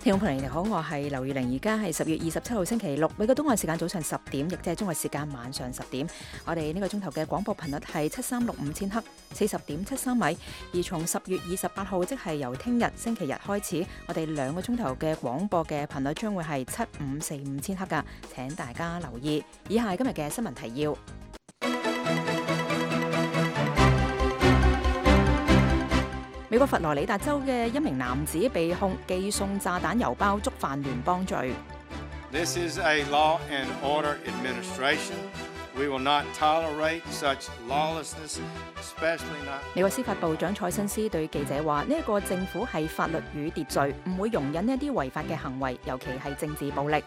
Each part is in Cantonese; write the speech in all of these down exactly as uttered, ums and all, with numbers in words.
聽眾朋友你好，我係劉月玲，而家係十月二十七號星期六，美國東岸時間早上十點，亦即係中國時間晚上十點。我哋呢個鐘頭嘅廣播頻率係七三六五千赫，四十點七三米。而從十月二十八號，即係由聽日星期日開始，我哋兩個鐘頭嘅廣播嘅頻率將會係七五四五千赫噶，請大家留意。以下係今日嘅新聞提要。美國佛羅里達州嘅一名男子被控寄送炸彈郵包，觸犯聯邦罪。This is a law and order administration. We will not tolerate such lawlessness, especially not. 美國司法部長蔡新斯對記者話：呢一個政府係法律與秩序，唔會容忍一啲違法嘅行為，尤其係政治暴力。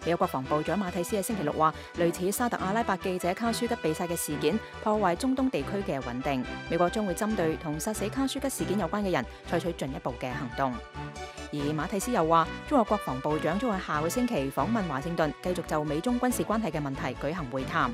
美國國防部長馬蒂斯喺星期六話，類似沙特阿拉伯記者卡舒吉被殺嘅事件，破壞中東地區嘅穩定。美國將會針對同殺死卡舒吉事件有關嘅人，採取進一步嘅行動。而馬蒂斯又話，中國國防部長將喺下個星期訪問華盛頓，繼續就美中軍事關係嘅問題舉行會談。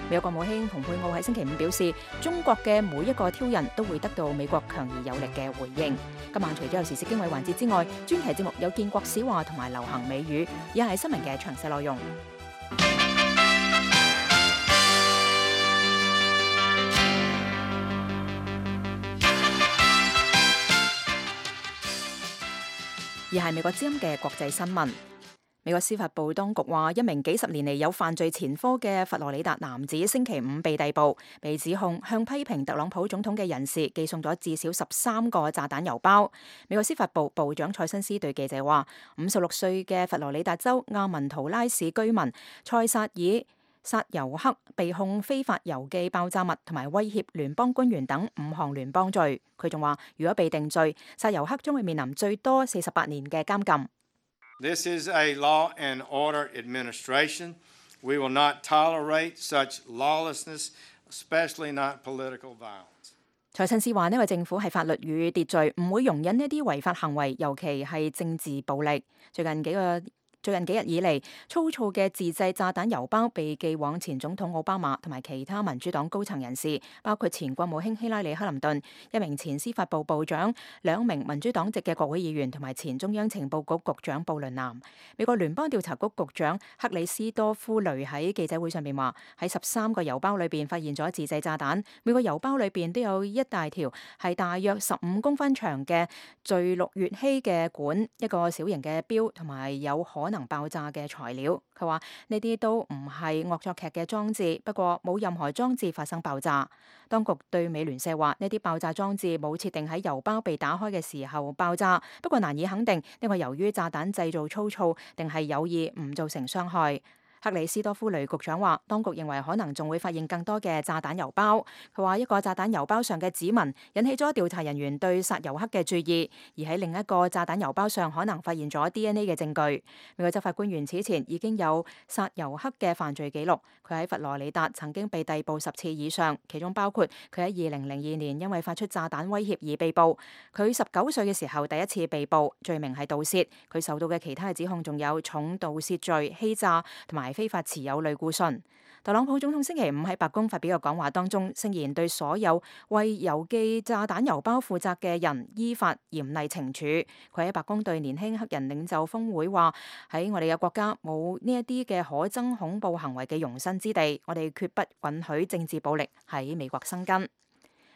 美國國務卿蓬佩奧喺星期五表示，中國嘅每一個挑釁都會得到美國強而有力嘅回應。今晚除咗有時事經緯環節之外，專題節目有建國史話同埋流行美語，以下係新聞嘅詳細內容。而係美國之音嘅國際新聞。美國司法部當局話，一名幾十年嚟有犯罪前科嘅佛羅里達男子星期五被逮捕，被指控向批評特朗普總統嘅人士寄送咗至少十三個炸彈郵包。美國司法部部長蔡新斯對記者話，五十六歲嘅佛羅里達州亞文圖拉市居民塞薩爾薩尤克被控非法郵寄爆炸物同埋威脅聯邦官員等五項聯邦罪。佢仲話，如果被定罪，薩尤克將會面臨最多四十八年嘅監禁。This is a law and order administration. We will not tolerate such lawlessness, especially not political violence. 蔡新斯話，呢個政府係法律與秩序，唔會容忍呢啲違法行為，尤其係政治暴力。最近幾個最近幾日以嚟，粗糙嘅自製炸彈郵包被寄往前總統奧巴馬同埋其他民主黨高層人士，包括前國務卿希拉里克林頓、一名前司法部部長、兩名民主黨籍嘅國會議員同埋前中央情報局局長布倫南。美國聯邦調查局局長克里斯多夫雷喺記者會上面話，喺十三個郵包裏邊發現咗自製炸彈，每個郵包裏邊都有一大條係大約十五公分長嘅聚氯乙烯嘅管，一個小型嘅錶同埋有可能能爆炸嘅材料。佢話呢啲都唔係惡作劇嘅裝置，不過冇任何裝置發生爆炸。當局對美聯社話，呢啲爆炸裝置冇設定喺郵包被打開嘅時候爆炸，不過難以肯定呢個由於炸彈製造粗糙定係有意唔造成傷害。克里斯多夫雷局長話，當局認為可能仲會發現更多嘅炸彈郵包。佢話一個炸彈郵包上嘅指紋引起咗調查人員對薩尤克嘅注意，而喺另一個炸彈郵包上可能發現咗 D N A 嘅證據。美國執法官員此前已經有薩尤克嘅犯罪記錄，佢喺佛羅里達曾經被逮捕十次以上，其中包括佢喺二零零二年因為發出炸彈威脅而被捕。佢十九歲嘅時候第一次被捕，罪名係盜竊。佢受到嘅其他嘅指控仲有重盜竊罪、欺詐同埋非法持有類固醇。特朗普總統星期五喺白宮發表嘅講話當中，聲言對所有為郵寄炸彈郵包負責嘅人依法嚴厲懲處。佢喺白宮對年輕黑人領袖峰會話：喺我哋嘅國家冇呢一啲嘅可憎恐怖行為嘅容身之地，我哋決不允許政治暴力喺美國生根。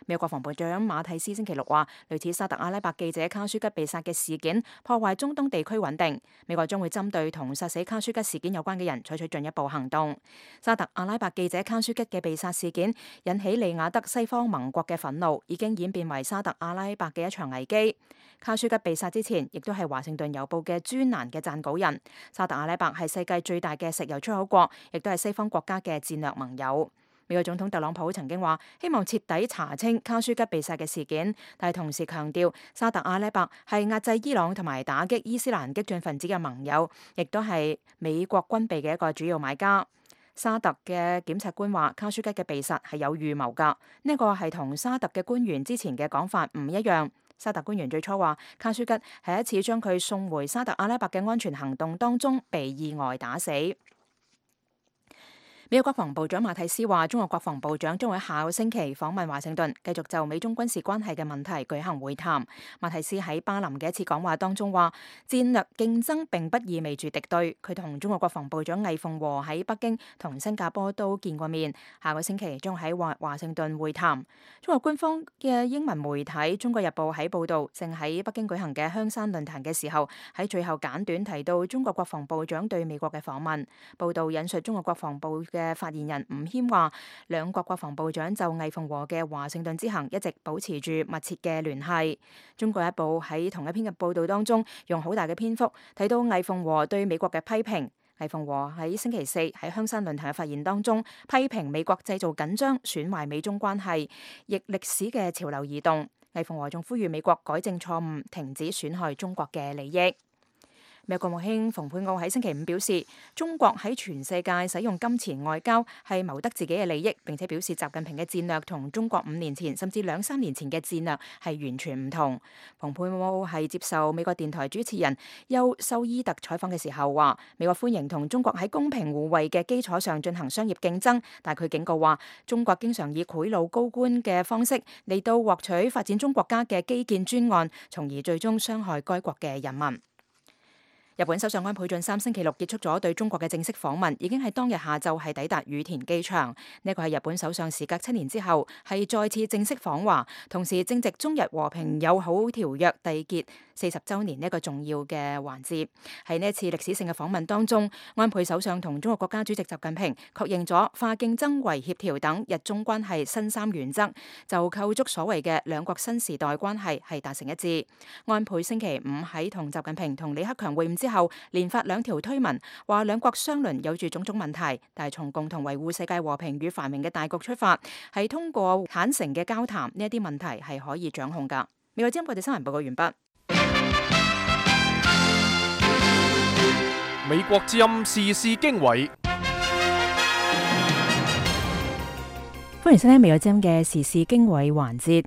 美國國防部長馬蒂斯星期六話，類似沙特阿拉伯記者卡舒吉被殺嘅事件破壞中東地區穩定，美國將會針對同殺死卡舒吉事件有關嘅人採取進一步行動。沙特阿拉伯記者卡舒吉嘅被殺事件引起利雅得西方盟國嘅憤怒，已經演變為沙特阿拉伯嘅一場危機。卡舒吉被殺之前，亦都係華盛頓郵報嘅專欄嘅撰稿人。沙特阿拉伯係世界最大嘅石油出口國，亦都係西方國家嘅戰略盟友。美國總統特朗普曾經話希望徹底查清卡舒吉被殺嘅事件，但係同時強調沙特阿拉伯係壓制伊朗同埋打擊伊斯蘭激進分子嘅盟友，亦都係美國軍備嘅一個主要買家。沙特嘅檢察官話卡舒吉嘅被殺係有預謀㗎，呢個係同沙特嘅官員之前嘅講法唔一樣。沙特官員最初話卡舒吉喺一次將佢送回沙特阿拉伯嘅安全行動當中被意外打死。美國國防部長馬蒂斯話，中國國防部長將會下個星期訪問華盛頓，繼續就美中軍事關係嘅問題舉行會談。馬蒂斯喺巴林嘅一次講話當中話，戰略競爭並不意味住敵對。佢同中國國防部長魏鳳和喺北京同新加坡都見過面，下個星期將喺華華盛頓會談。中國官方嘅英文媒體《中國日報》喺報導，正喺北京舉行嘅香山論壇嘅時候，喺最後簡短提到中國國防部長對美國嘅訪問。報導引述中國國防部嘅發言人吳謙話，兩國國防部長就魏鳳和嘅華盛頓之行一直保持住密切嘅聯繫。中國日報喺同一篇嘅報導當中，用好大嘅篇幅提到魏鳳和對美國嘅批評。魏鳳和喺星期四喺香山論壇嘅發言當中，批評美國製造緊張，損壞美中關係，逆歷史嘅潮流而動。魏鳳和仲呼籲美國改正錯誤，停止損害中國嘅利益。美國國務卿蓬佩奧喺星期五表示，中國喺全世界使用金錢外交係謀得自己嘅利益，並且表示習近平嘅戰略同中國五年前甚至兩三年前嘅戰略係完全唔同。蓬佩奧係接受美國電台主持人休修伊特採訪嘅時候話，美國歡迎同中國喺公平互惠嘅基礎上進行商業競爭，但佢警告話，中國經常以賄賂高官嘅方式嚟到獲取發展中國家嘅基建專案，從而最終傷害該國嘅人民。日本首相安倍晉三星期六結束咗對中國嘅正式訪問，已經喺當日下晝係抵達羽田機場。呢個係日本首相時隔七年之後係再次正式訪華，同時正值中日和平友好條約締結四十週年呢一個重要嘅環節。喺呢一次歷史性嘅訪問當中，安倍首相同中國國家主席習近平確認咗化競爭為協調等日中關係新三原則，就構築所謂嘅兩國新時代關係係達成一致。安倍星期五喺同習近平同李克強會晤之後，連發兩條推文，話兩國相鄰有住種種問題，但係從共同維護世界和平與繁榮嘅大局出發，係通過坦誠嘅交談，呢一啲問題係可以掌控㗎。美國之音國際新聞報告完畢。美國之音時事經緯，歡迎收聽美國之音嘅時事經緯環節。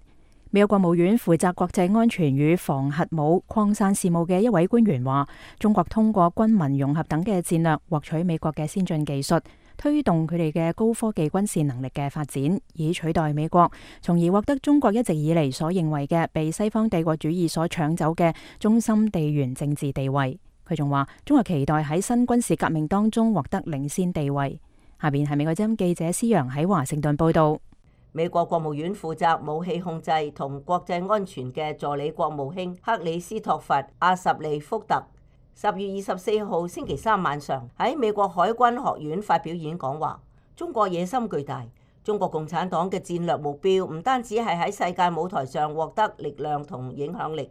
美國國務院負責國際安全與防核武擴散事務嘅一位官員話，中國通過軍民融合等嘅戰略，獲取美國嘅先進技術，推動佢哋嘅高科技軍事能力嘅發展，以取代美國，從而獲得中國一直以嚟所認為嘅被西方帝國主義所搶走嘅中心地緣政治地位。佢仲話，中國期待喺新軍事革命當中獲得領先地位。下邊係美國之音記者施陽喺華盛頓報道。美國國務院負責武器控制同國際安全嘅助理國務卿克里斯托弗·阿什利福特，十月二十四號星期三晚上喺美國海軍學院發表演講話，中國野心巨大，中國共產黨嘅戰略目標唔單止係喺世界舞台上獲得力量同影響力，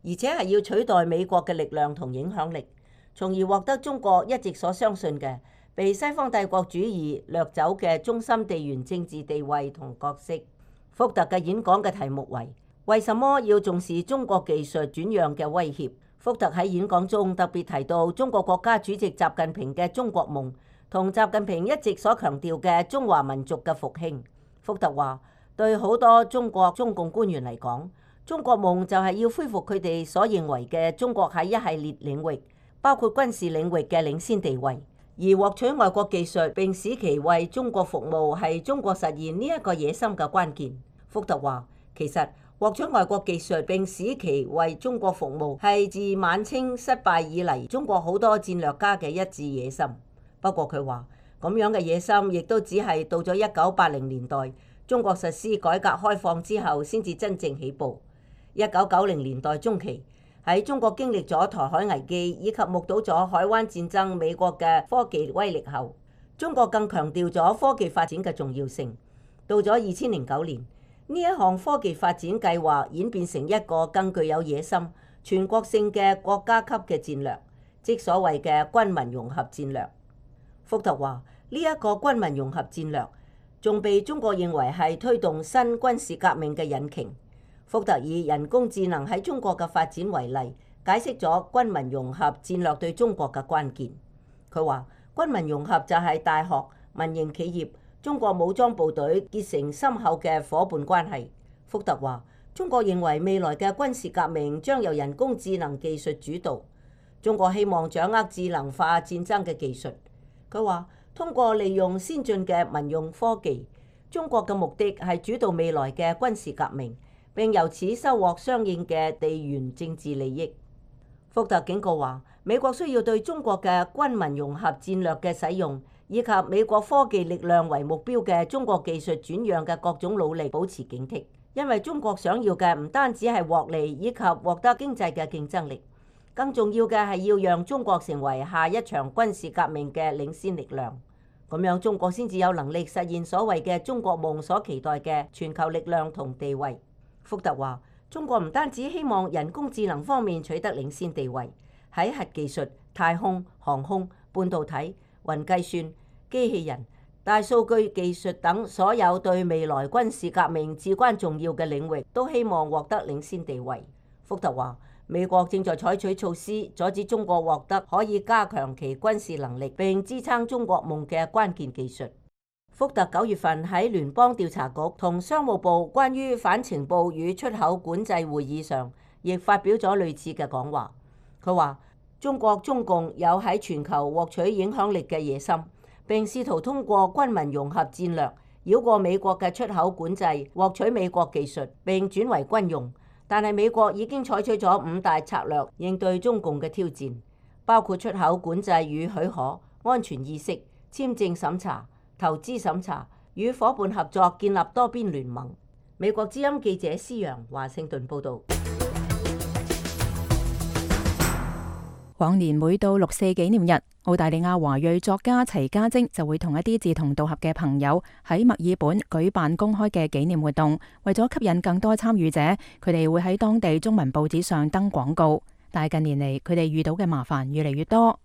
而且係要取代美國嘅力量同影響力，從而獲得中國一直所相信嘅被西方帝國主義掠走嘅中心地緣政治地位同角色。福特嘅演講嘅題目為為什麼要重視中國技術轉讓嘅威脅。福特喺演講中特別提到中國國家主席習近平嘅中國夢同習近平一直所強調嘅中華民族嘅復興。福特話，對好多中國中共官員嚟講，中國夢就係要恢復佢哋所認為嘅中國喺一系列領域，包括軍事領域嘅領先地位。而獲取外國技術並使其為中國服務係中國實現呢一個野心嘅關鍵。福特話，其實獲取外國技術並使其為中國服務係自晚清失敗以嚟中國好多戰略家嘅一致野心。不過佢話，咁樣嘅野心亦都只係到咗一九八零年代中國實施改革開放之後先至真正起步。一九九零年代中期，喺中國經歷咗台海危機以及目睹咗海灣戰爭美國嘅科技威力後，中國更強調咗科技發展嘅重要性。到咗二千零九年，呢一項科技發展計劃演變成一個更具有野心、全國性嘅國家級嘅戰略，即所謂嘅軍民融合戰略。福特話，呢一個軍民融合戰略仲被中國認為係推動新軍事革命嘅引擎。福特以人工智能喺中國嘅發展為例，解釋咗軍民融合戰略對中國嘅關鍵。佢話，軍民融合就係大學、民營企業、中國武裝部隊結成深厚嘅伙伴關係。福特話，中國認為未來嘅軍事革命將由人工智能技術主導，中國希望掌握智能化戰爭嘅技術。佢話，通過利用先進嘅民用科技，中國嘅目的係主導未來嘅軍事革命，並由此收穫相應嘅地緣政治利益。福特警告話，美國需要對中國嘅軍民融合戰略嘅使用，以及美國科技力量為目標嘅中國技術轉讓嘅各種努力保持警惕，因為中國想要嘅唔單止係獲利以及獲得經濟嘅競爭力，更重要嘅係要讓中國成為下一場軍事革命嘅領先力量。咁樣中國先至有能力實現所謂嘅中國夢所期待嘅全球力量同地位。福特話，中國唔單止希望人工智能方面取得領先地位，喺核技術、太空、航空、半導體、雲計算、機器人、大數據技術等所有對未來軍事革命至關重要嘅領域，都希望獲得領先地位。福特話，美國正在採取措施阻止中國獲得可以加強其軍事能力並支撐中國夢嘅關鍵技術。福特九月份喺聯邦調查局同商務部關於反情報與出口管制會議上，亦發表咗類似嘅講話。佢話，中國中共有喺全球獲取影響力嘅野心，並試圖通過軍民融合戰略繞過美國嘅出口管制，獲取美國技術並轉為軍用。但係美國已經採取咗五大策略應對中共嘅挑戰，包括出口管制與許可、安全意識、簽證審查、投資審查、與伙伴合作建立多邊聯盟。美國之音記者施陽華盛頓報導。往年每到六四紀念日，澳大利亞華裔作家齊家晶就會同一啲志同道合嘅朋友喺墨爾本舉辦公開嘅紀念活動。為咗吸引更多參與者，佢哋會喺當地中文報紙上登廣告。但係近年嚟，佢哋遇到嘅麻煩越嚟越多。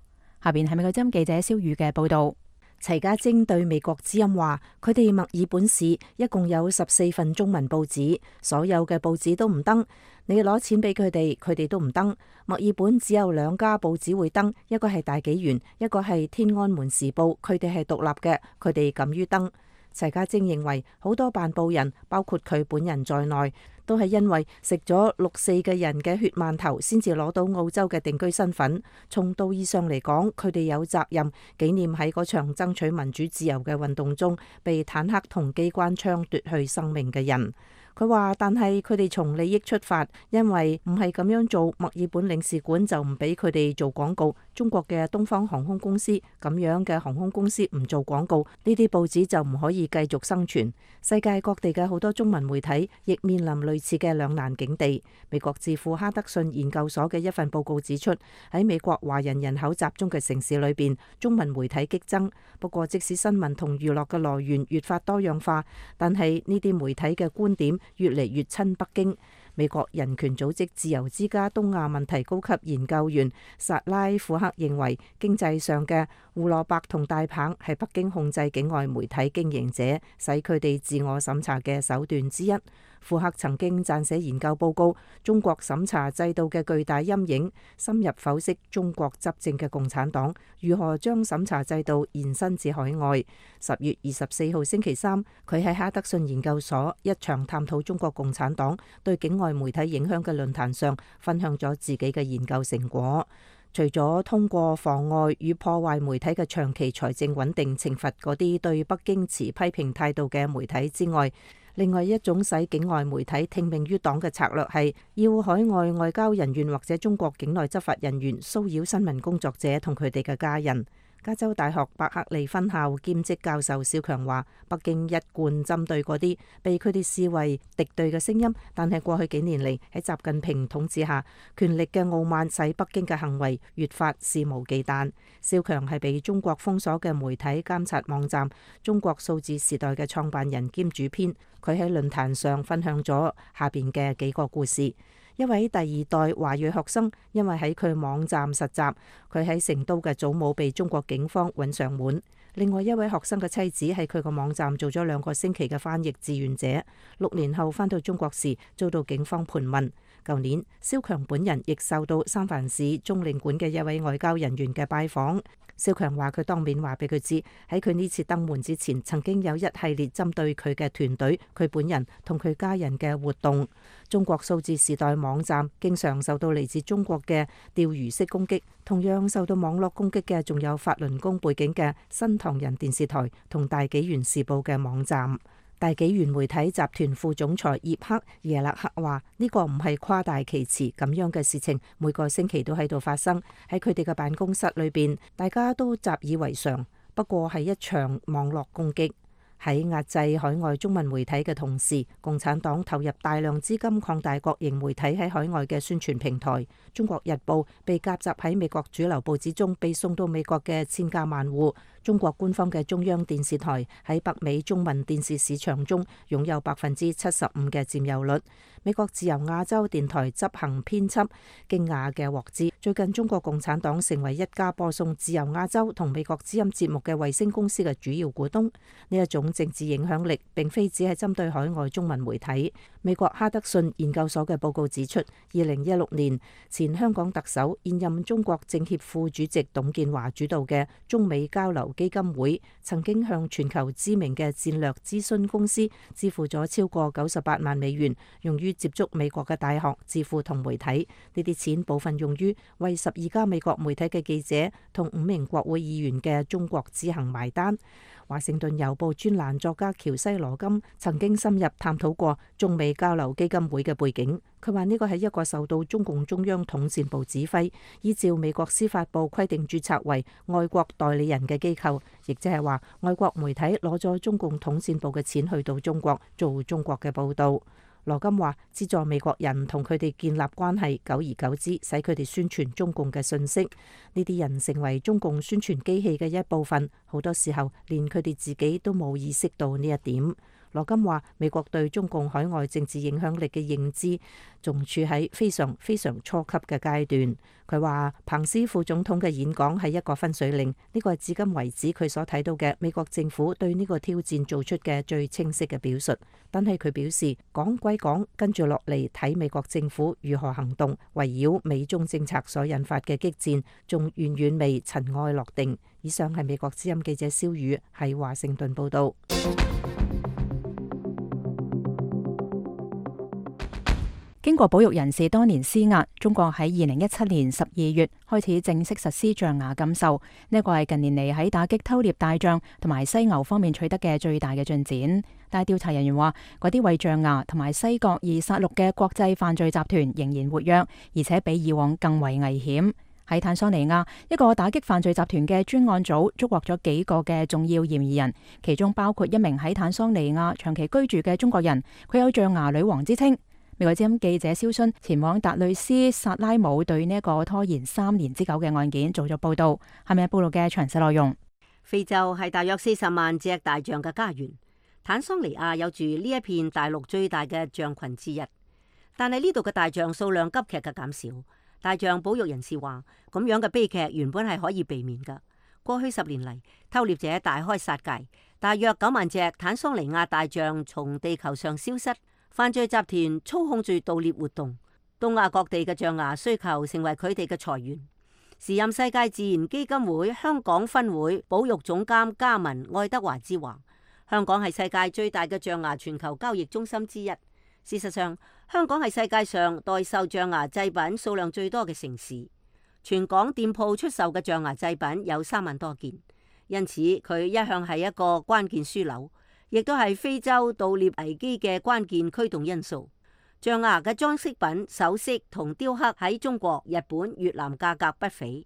下邊係美國之音記者蕭宇嘅報導。齊家晶對美國之音話，佢哋墨爾本市一共有十四份中文報紙，所有嘅報紙都唔登。你攞錢俾佢哋，佢哋都唔登。墨爾本只有兩家報紙會登，一個係大紀元，一個係天安門時報，佢哋係獨立嘅，佢哋敢於登。齊家晶認為好多辦報人，包括佢本人在內，都係因為食咗六四嘅人嘅血饅頭，先至攞到澳洲嘅定居身份。從道義上嚟講，佢哋有責任紀念喺嗰場爭取民主自由嘅運動中被坦克同機關槍奪去生命嘅人。佢話，但係佢哋從利益出發，因為唔係咁樣做，墨爾本領事館就唔俾佢哋做廣告。中國嘅東方航空公司咁樣嘅航空公司唔做廣告，呢啲報紙就唔可以繼續生存。世界各地嘅好多中文媒體亦面臨類似嘅兩難境地。美國智庫哈德遜研究所嘅一份報告指出，喺美國華人人口集中嘅城市裏邊，中文媒體激增。不過，即使新聞同娛樂嘅來源越發多樣化，但係呢啲媒體嘅觀點越嚟越親北京。美國人權組織自由之家東亞問題高級研究員薩拉庫克認為，經濟上嘅胡蘿蔔同大棒係北京控制境外媒體經營者，使佢哋自我審查嘅手段之一。庫克曾經撰寫研究報告《中國審查制度嘅巨大陰影》，深入剖析中國執政嘅共產黨如何將審查制度延伸至海外。十月二十四號星期三，佢喺哈德遜研究所一場探討中國共產黨對境外媒體影響嘅論壇上，分享咗自己嘅研究成果。除咗通過妨礙與破壞媒體嘅長期財政穩定懲罰嗰啲對北京持批評態度嘅媒體之外，另外一種使境外媒體聽命於黨嘅策略係要海外外交人員或者中國境內執法人員騷擾新聞工作者同佢哋嘅家人。加州大學伯克利分校兼職教授蕭強話，北京一貫針對嗰啲被佢哋視為敵對嘅聲音，但係過去幾年嚟喺習近平統治下，權力嘅傲慢使北京嘅行為越發肆無忌憚。蕭強係被中國封鎖嘅媒體監察網站中國數字時代嘅創辦人兼主編，佢喺論壇上分享咗下邊嘅幾個故事。一位第二代華裔學生因為喺佢網站實習，佢喺成都嘅祖母被中國警方揾上門。另外一位學生嘅妻子喺佢個網站做咗兩個星期嘅翻譯志願者，六年後返到中國時遭到警方盤問。舊年，蕭強本人亦受到三藩市中領館嘅一位外交人員嘅拜訪。蕭強話佢當面話俾佢知，喺佢呢次登門之前，曾經有一系列針對佢嘅團隊、佢本人同佢家人嘅活動。中國數字時代網站經常受到嚟自中國嘅釣魚式攻擊，同樣受到網絡攻擊嘅仲有法輪功背景嘅新唐人電視台同大紀元時報嘅網站。大紀元媒體集團副總裁葉克耶勒克話：呢個唔係誇大其詞，咁樣嘅事情每個星期都喺度發生喺佢哋嘅辦公室裏邊，大家都習以為常。不過係一場網絡攻擊。喺壓制海外中文媒體嘅同時，共產黨投入大量資金擴大國營媒體喺海外嘅宣傳平台。中國日報被夾雜喺美國主流報紙中，被送到美國嘅千家萬戶。中國官方嘅中央電視台喺北美中文電視市場中擁有百分之七十五嘅佔有率。美國自由亞洲電台執行編輯驚訝嘅獲知，最近中國共產黨成為一家播送自由亞洲同美國之音節目嘅衛星公司嘅主要股東。呢一種政治影響力並非只係針對海外中文媒體。美國哈德遜研究所嘅報告指出，二零一六年前香港特首、現任中國政協副主席董建華主導嘅中美交流基金會曾經向全球知名嘅戰略諮詢公司支付咗超過九十八萬美元，用於接觸美國嘅大學、智庫同媒體。呢啲錢部分用於為十二家美國媒體嘅記者同五名國會議員嘅中國之行埋單。華盛頓郵報專欄作家喬西羅金曾經深入探討過中美交流基金會嘅背景。佢話呢個係一個受到中共中央統戰部指揮，依照美國司法部規定註冊為外國代理人嘅機構，亦即係話外國媒體攞咗中共統戰部嘅錢去到中國做中國嘅報道。羅金話：資助美國人同佢哋建立關係，久而久之，使佢哋宣傳中共嘅信息。呢啲人成為中共宣傳機器嘅一部分，好多時候連佢哋自己都冇意識到呢一點。羅金話：美國對中共海外政治影響力嘅認知仲處喺非常非常初級嘅階段。佢話彭斯副總統嘅演講係一個分水嶺，呢個係至今為止佢所睇到嘅美國政府對呢個挑戰做出嘅最清晰嘅表述。但係佢表示講歸講，跟住落嚟睇美國政府如何行動，圍繞美中政策所引發嘅激戰仲遠遠未塵埃落定。以上係美國之音記者蕭宇喺華盛頓報道。經過保育人士多年施壓，中國喺二零一七年十二月開始正式實施象牙禁售。呢一個係近年嚟喺打擊偷獵大象同埋犀牛方面取得嘅最大嘅進展。但係調查人員話，嗰啲為象牙同埋西角而殺戮嘅國際犯罪集團仍然活躍，而且比以往更為危險。喺坦桑尼亞，一個打擊犯罪集團嘅專案組捉獲咗幾個嘅重要嫌疑人，其中包括一名喺坦桑尼亞長期居住嘅中國人，佢有象牙女王之稱。美國之音記者蕭勳前往達累斯薩拉姆，對呢一個拖延三年之久嘅案件做咗報道。下面報道嘅詳細內容。非洲係大約四十萬隻大象嘅家園，坦桑尼亞有住呢一片大陸最大嘅象群之一，但係呢度嘅大象數量急劇嘅減少。大象保育人士話，咁樣嘅悲劇原本係可以避免㗎。過去十年嚟，偷獵者大開殺戒，大約九萬隻坦桑尼亞大象從地球上消失。犯罪集團操控住盜獵活動，東亞各地嘅象牙需求成為佢哋嘅財源。時任世界自然基金會香港分會保育總監加文愛德華之話，香港係世界最大嘅象牙全球交易中心之一。事實上，香港係世界上代售象牙製品數量最多嘅城市，全港店鋪出售嘅象牙製品有三萬多件，因此佢一向係一個關鍵樞紐，亦都係非洲盜獵危機嘅關鍵驅動因素。象牙嘅裝飾品、首飾同雕刻喺中國、日本、越南價格不菲，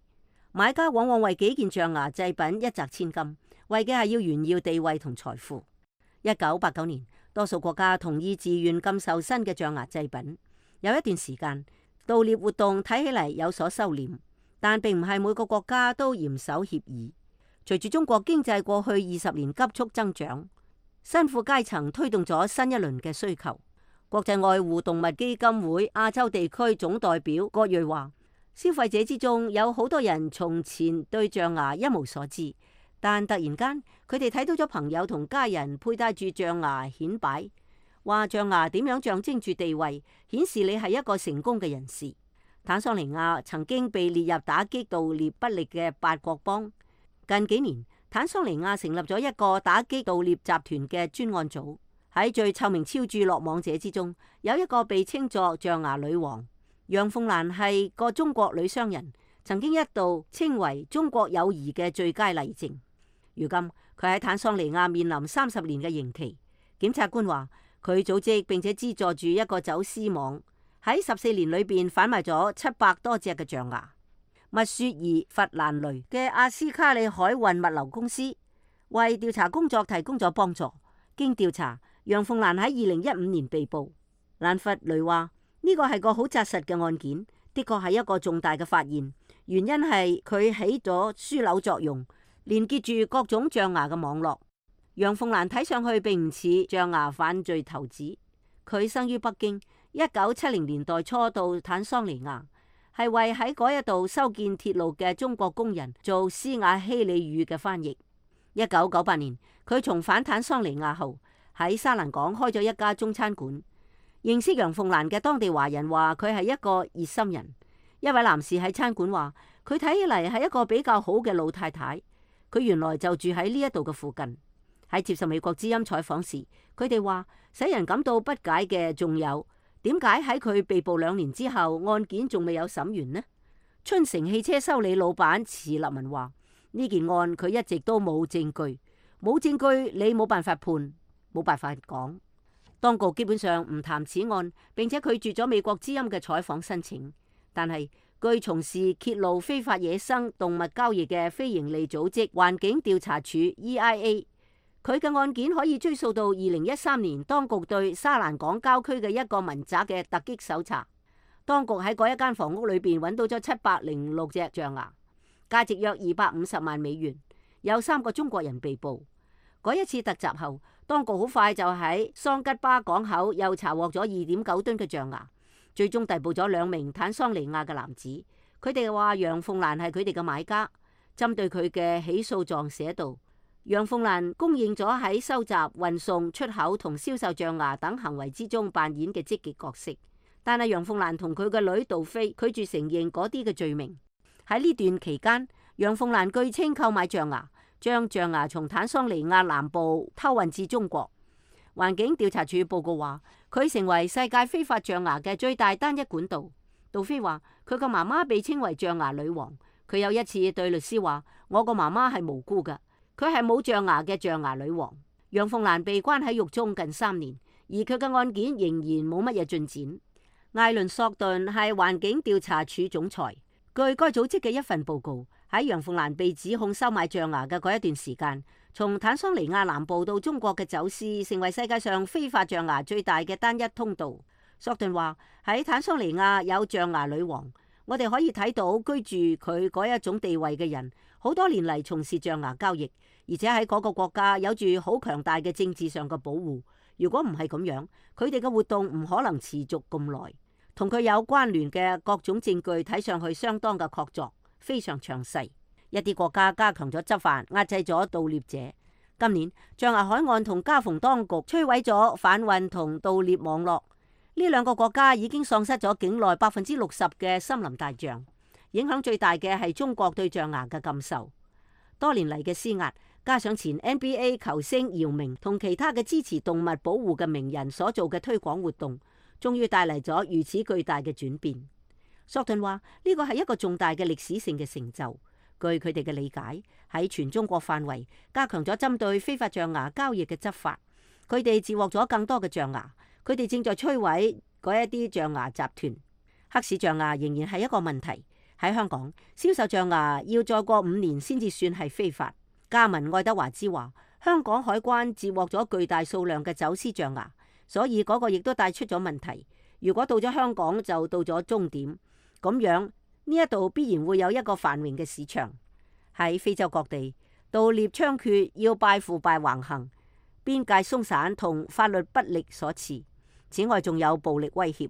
買家往往為幾件象牙製品一擲千金，為嘅係要炫耀地位同財富。一九八九年，多數國家同意自願禁售新嘅象牙製品。有一段時間，盜獵活動睇起嚟有所收斂，但並唔係每個國家都嚴守協議。隨住中國經濟過去二十年急速增長，新富階層推動咗新一輪嘅需求。國際愛護動物基金會亞洲地區總代表郭瑞話，消費者之中有好多人從前對象牙一無所知，但突然間佢哋睇到咗朋友同家人佩戴住象牙顯擺，話象牙點樣象徵住地位，顯示你係一個成功嘅人士。坦桑尼亞曾經被列入打擊盜獵不力嘅八國邦。近幾年，坦桑尼亞成立咗一個打擊盜獵集團嘅專案組。喺最臭名昭著落網者之中，有一個被稱作象牙女王。楊鳳蘭係個中國女商人，曾經一度稱為中國友誼嘅最佳例證。如今佢喺坦桑尼亞面臨三十年嘅刑期。檢察官話佢組織並且資助住一個走私網，喺十四年裏邊販賣咗七百多隻嘅象牙。密雪兒弗蘭雷嘅阿斯卡里海運物流公司為調查工作提供咗幫助。經調查，楊鳳蘭喺二零一五年被捕。蘭弗雷話呢個係個好紮實嘅案件，的確係一個重大嘅發現。原因係佢起咗樞紐作用，連結住各種象牙嘅網絡。楊鳳蘭睇上去並唔似象牙犯罪頭子。佢生於北京，一九七零年代初到坦桑尼亞，係為喺嗰一度修建鐵路嘅中國工人做斯瓦希里語嘅翻譯。一九九八年，佢重返坦桑尼亞後，喺沙蘭港開咗一家中餐館。認識楊鳳蘭嘅當地華人話佢係一個熱心人。一位男士喺餐館話佢睇起嚟係一個比較好嘅老太太。佢原來就住喺呢一度嘅附近。喺接受美國之音採訪時，佢哋話使人感到不解嘅仲有點解喺佢被捕兩年之後，案件仲未有審完呢？春城汽車修理老闆池立文話呢件案佢一直都冇證據，冇證據你冇辦法判，冇辦法講。當局基本上唔談此案，並且拒絕咗美國之音嘅採訪申請。但係據從事揭露非法野生動物交易嘅非營利組織環境調查署 E I A， 佢嘅案件可以追溯到二零一三年，當局對沙蘭港郊區嘅一個民宅嘅突擊搜查，當局喺嗰一間房屋裏邊揾到咗七百零六隻象牙，價值約二百五十萬美元，有三個中國人被捕。嗰一次突襲後，當局好快就喺桑吉巴港口又查獲咗二點九噸嘅象牙，最終逮捕咗兩名坦桑尼亞嘅男子。佢哋話楊鳳蘭係佢哋嘅買家。針對佢嘅起訴狀寫道，楊鳳蘭公認咗喺收集、運送、出口同銷售象牙等行為之中扮演嘅積極角色。但係楊鳳蘭同佢嘅女杜飛拒絕承認嗰啲嘅罪名。喺呢段期間，楊鳳蘭據稱購買象牙，將象牙從坦桑尼亞南部偷運至中國。環境調查處報告話，佢成為世界非法象牙嘅最大單一管道。杜飛話，佢個媽媽被稱為象牙女王。佢有一次對律師話：我個媽媽係無辜㗎，佢係冇象牙嘅象牙女王。楊鳳蘭被關喺獄中近三年，而佢嘅案件仍然冇乜嘢進展。艾倫索頓係環境調查處總裁。據該組織嘅一份報告，喺楊鳳蘭被指控收買象牙嘅嗰一段時間，從坦桑尼亞南部到中國嘅走私成為世界上非法象牙最大嘅單一通道。索頓話喺坦桑尼亞有象牙女王，我哋可以睇到居住佢嗰一種地位嘅人，好多年嚟從事象牙交易，而且喺嗰個國家有住好強大嘅政治上嘅保護。如果唔係咁樣，佢哋嘅活動唔可能持續咁耐。同佢有關聯嘅各種證據睇上去相當嘅確鑿，非常詳細。一啲國家加強咗執法，壓制咗盜獵者。今年象牙海岸同加蓬當局摧毀咗販運同盜獵網絡。呢兩個國家已經喪失咗境內百分之六十嘅森林大象。影響最大嘅係中國對象牙嘅禁售。多年嚟嘅施壓，加上前 N B A 球星姚明同其他嘅支持動物保護嘅名人所做嘅推廣活動，終於帶嚟咗如此巨大嘅轉變。索頓話呢個係一個重大嘅歷史性嘅成就。據佢哋嘅理解，喺全中國範圍加強咗針對非法象牙交易嘅執法，佢哋截獲咗更多嘅象牙。佢哋正在摧毀嗰一啲象牙集團。黑市象牙仍然係一個問題。喺香港銷售象牙要再過五年先至算係非法。加文愛德華茲話，香港海關截獲咗巨大數量嘅走私象牙，所以嗰個亦都帶出咗問題。如果到咗香港就到咗終點，咁樣呢一度必然會有一個繁榮嘅市場。喺非洲各地盜獵猖獗，要拜腐敗橫行，邊界鬆散同法律不力所賜。此外，仲有暴力威脅。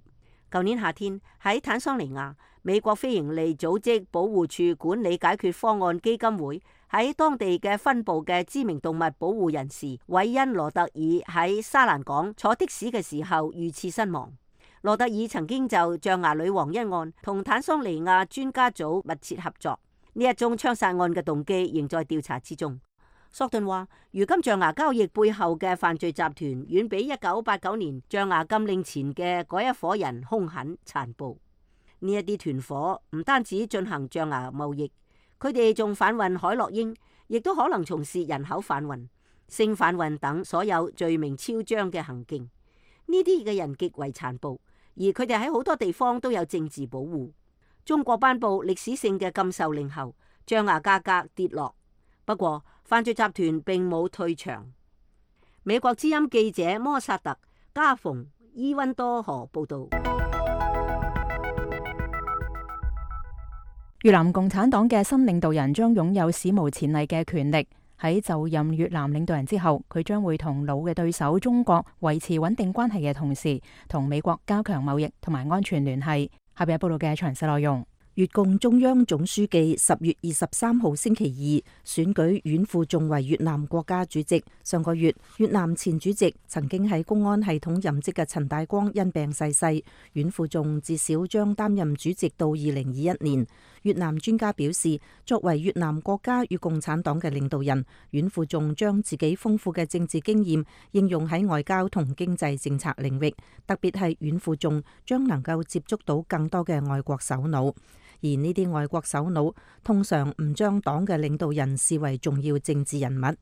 舊年夏天喺坦桑尼亞，美國非營利組織保護處管理解決方案基金會喺當地嘅分部嘅知名動物保護人士韋恩羅特爾喺沙蘭港坐的士嘅時候遇刺身亡。羅特爾曾經就象牙女王一案同坦桑尼亞專家組密切合作。呢一宗槍殺案嘅動機仍在調查之中。索頓話，如今象牙交易背後嘅犯罪集團遠比一九八九年象牙禁令前嘅嗰一伙人兇狠殘暴。呢一啲團伙唔單止進行象牙貿易，佢哋仲販運海洛因，亦都可能從事人口販運、性販運等所有罪名昭彰嘅行徑。呢啲嘅人極為殘暴，而佢哋喺好多地方都有政治保護。中國頒布歷史性嘅禁售令後，象牙價格跌落。不過犯罪集團並冇退場。美國之音記者摩薩特加蓬伊溫多河報道。越南共產黨嘅新領導人將擁有史無前例嘅權力。喺就任越南領導人之後，佢將會同老嘅對手中國維持穩定關係嘅同時，同美國加強貿易同埋安全聯繫。下邊報道嘅詳細內容。越共中央總書記十月二十三號星期二選舉阮富仲為越南國家主席。上個月，越南前主席曾經喺公安系統任職嘅陳大光因病逝世，阮富仲至少將擔任主席到二零二一年。越南專家表示，作為越南國家與共產黨嘅領導人，阮富仲將自己豐富嘅政治經驗應用喺外交同經濟政策領域，特別係阮富仲將能夠接觸到更多嘅外國首腦。而呢啲外國首腦通常唔將黨嘅領導人視為重要政治人物。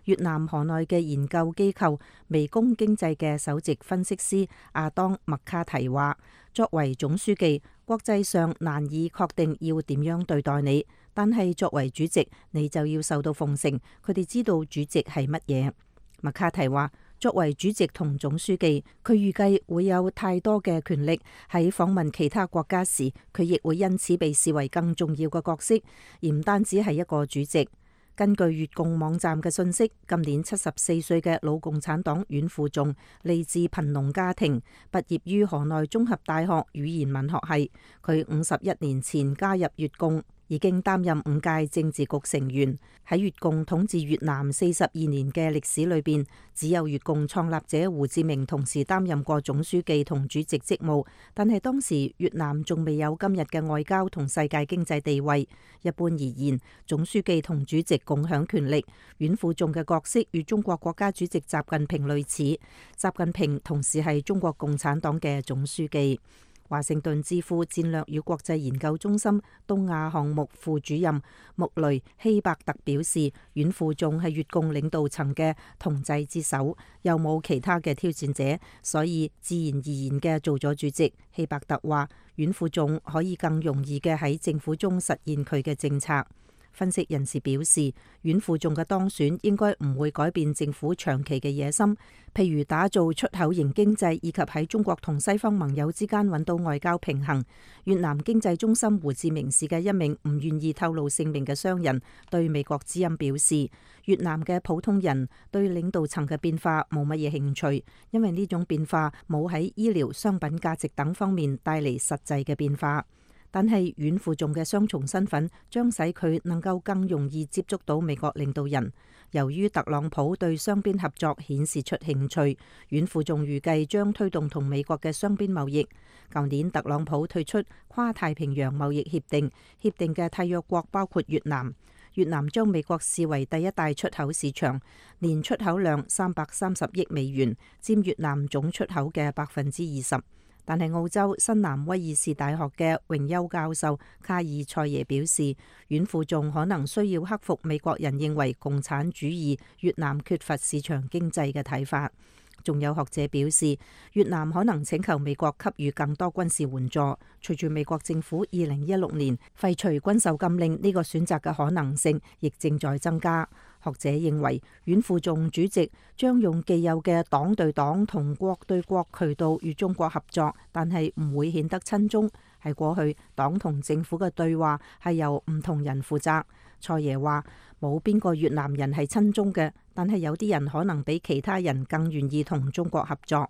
越南河內嘅研究機構微工經濟嘅首席分析師阿當麥卡提話，作為總書記，國際上難以確定要點樣對待你，但係作為主席，你就要受到奉承。佢哋知道主席係乜嘢。麥卡提話，作為主席同總書記，佢預計會有太多嘅權力。喺訪問其他國家時，佢亦會因此被視為更重要嘅角色，而唔單止係一個主席。根據越共網站嘅信息，今年七十四歲嘅老共產黨阮富仲嚟自貧農家庭，畢業於河內綜合大學語言文學系。佢五十一年前加入越共，已經擔任五屆政治局成員。喺越共統治越南四十二年嘅歷史裏邊，只有越共創立者胡志明同時擔任過總書記同主席職務，但係當時越南仲未有今日嘅外交同世界經濟地位。一般而言，總書記同主席共享權力。阮富仲嘅角色與中國國家主席習近平類似，習近平同時係中國共產黨嘅總書記。華盛頓智庫戰略與國際研究中心東亞項目副主任穆雷希伯特表示，阮富仲係越共領導層嘅銅製之首，又冇其他嘅挑戰者，所以自然而然嘅做咗主席。希伯特話，阮富仲可以更容易嘅喺政府中實現佢嘅政策。分析人士表示，阮富仲嘅當選應該唔會改變政府長期嘅野心，譬如打造出口型經濟，以及喺中國同西方盟友之間揾到外交平衡。越南經濟中心胡志明市嘅一名唔願意透露姓名嘅商人對美國之音表示，越南嘅普通人對領導層嘅變化冇乜嘢興趣，因為呢種變化冇喺醫療、商品價值等方面帶嚟實際嘅變化。但係阮富仲嘅雙重身份將使佢能夠更容易接觸到美國領導人。由於特朗普對雙邊合作顯示出興趣，阮富仲預計將推動同美國嘅雙邊貿易。舊年特朗普退出跨太平洋貿易協定，協定嘅締約國包括越南。越南將美國視為第一大出口市場，年出口量三百三十億美元，佔越南總出口嘅百分之二十。但係澳洲新南威爾士大學嘅榮休教授卡爾塞耶表示，阮富仲可能需要克服美國人認為共產主義越南缺乏市場經濟嘅睇法。仲有學者表示，越南可能請求美國給予更多軍事援助。隨住美國政府二零一六年廢除軍售禁令，呢個選擇嘅可能性亦正在增加。學者認為，阮富仲主席將用既有嘅黨對黨同國對國渠道與中國合作，但係唔會顯得親中。喺過去，黨同政府嘅對話係由唔同人負責。蔡爺話冇邊個越南人係親中嘅，但係有啲人可能比其他人更願意同中國合作。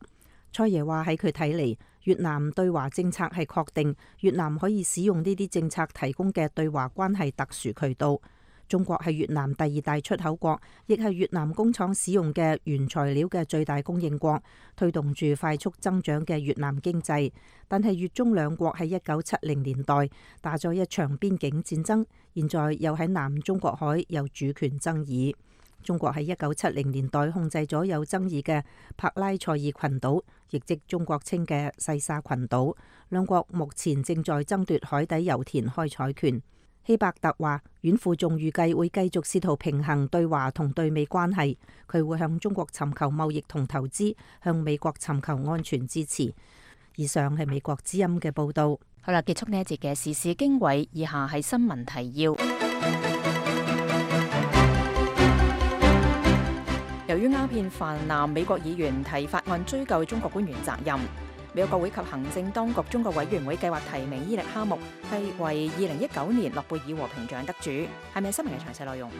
蔡爺話喺佢睇嚟，越南對華政策係確定，越南可以使用呢啲政策提供嘅對華關係特殊渠道。中國係越南第二大出口國，亦係越南工廠使用嘅原材料嘅最大供應國，推動住快速增長嘅越南經濟。但係越中兩國喺一九七零年代打咗一場邊境戰爭，現在又喺南中國海有主權爭議。中國喺一九七零年代控制咗有爭議嘅帕拉塞爾群島，亦即中國稱嘅細沙群島。兩國目前正在爭奪海底油田開採權。希伯特話，阮富仲預計會繼續試圖平衡對華同對美關係，佢會向中國尋求貿易同投資，向美國尋求安全支持。以上係美國之音嘅報導。好啦，結束呢一節嘅時事經緯，以下係新聞提要。由於鴉片泛濫，美國議員提法案追究中國官員責任。美國國會及行政當局中國委員會計劃提名伊力哈木係為二零一九年諾貝爾和平獎得主。係咪新聞嘅詳細內容？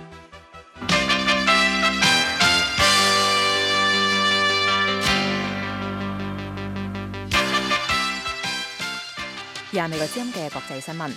以下美國之音嘅國際新聞。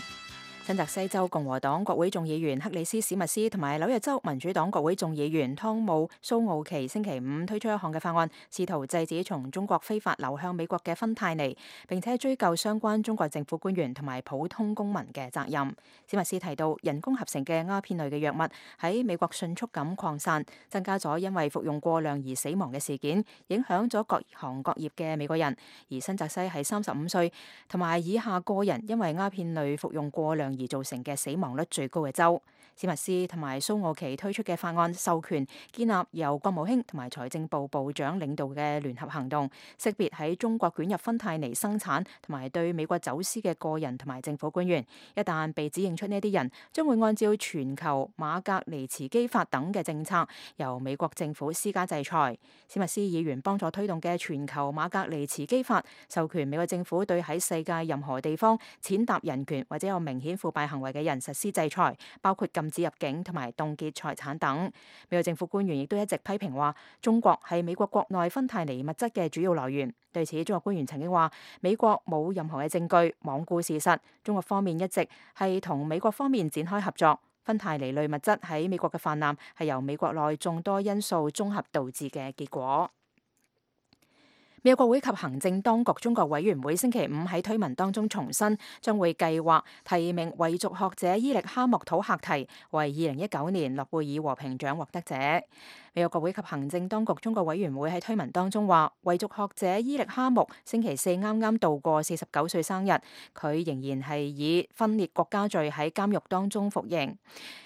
新澤西州共和黨國會眾議員克里斯史密斯同埋紐約州民主黨國會眾議員湯姆蘇奧奇星期五推出一項嘅法案，試圖制止從中國非法流向美國嘅芬太尼，並且追究相關中國政府官員同埋普通公民嘅責任。史密斯提到，人工合成嘅鴉片類嘅藥物喺美國迅速咁擴散，增加咗因為服用過量而死亡嘅事件，影響咗各行各業嘅美國人。而新澤西係三十五歲同埋以下個人因為鴉片類服用過量而造成嘅死亡率最高嘅州。史密斯同埋蘇奧奇推出嘅法案授權建立由國務卿同埋財政部部長領導嘅聯合行動，識別喺中國捲入芬太尼生產同埋對美國走私嘅個人同埋政府官員。一旦被指認出呢啲人，將會按照全球馬格尼茨基法等嘅政策，由美國政府施加制裁。史密斯議員幫助推動嘅全球馬格尼茨基法，授權美國政府對喺世界任何地方踐踏人權或者有明顯腐敗行為嘅人實施制裁，包括禁止入境同埋凍結財產等。美國政府官員亦都一直批評話，中國係美國國內芬太尼物質嘅主要來源。對此，中國官員曾經話，美國冇任何嘅證據罔顧事實，中國方面一直係同美國方面展開合作。芬太尼類物質喺美國嘅泛濫係由美國內眾多因素綜合導致嘅結果。美國國會及行政當局中國委員會星期五喺推文當中重申，將會計劃提名維族學者伊力哈木土赫提為二零一九年諾貝爾和平獎獲得者。美國國會及行政當局中國委員會喺推文當中話，維族學者伊力哈木星期四啱啱度過四十九歲生日，佢仍然係以分裂國家罪喺監獄當中服刑。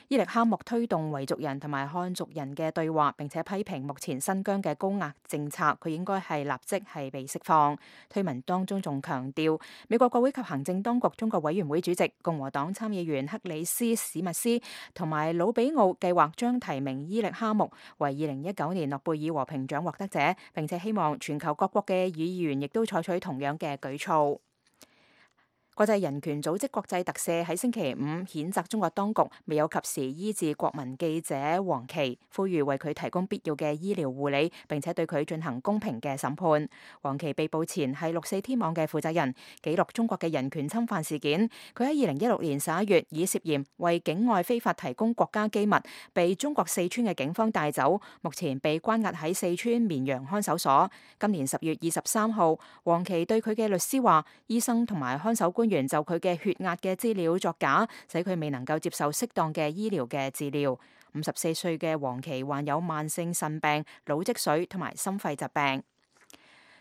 伊力哈木推動維族人同埋漢族人嘅對話，並且批評目前新疆嘅高壓政策，佢應該係立即係被釋放。推文當中仲強調，美國國會及行政當局中國委員會主席共和黨參議員克里斯史密斯同埋魯比奧計劃將提名伊力哈木為二零一九年諾貝爾和平獎獲得者，並且希望全球各國嘅議員亦都採取同樣嘅舉措。國際人權組織國際特赦喺星期五譴責中國當局未有及時醫治國民記者黃琦，呼籲為佢提供必要嘅醫療護理，並且對佢進行公平嘅審判。黃琦被捕前係六四天網嘅負責人，記錄中國嘅人權侵犯事件。佢喺二零一六年十一月以涉嫌為境外非法提供國家機密，被中國四川嘅警方帶走，目前被關押喺四川綿陽看守所。今年十月二十三號，黃琦對佢嘅律師話，醫生同埋看守官員就佢嘅血壓嘅資料作假，使佢未能夠接受適當嘅醫療嘅治療。五十四歲嘅黃琦患有慢性腎病、腦積水同埋心肺疾病。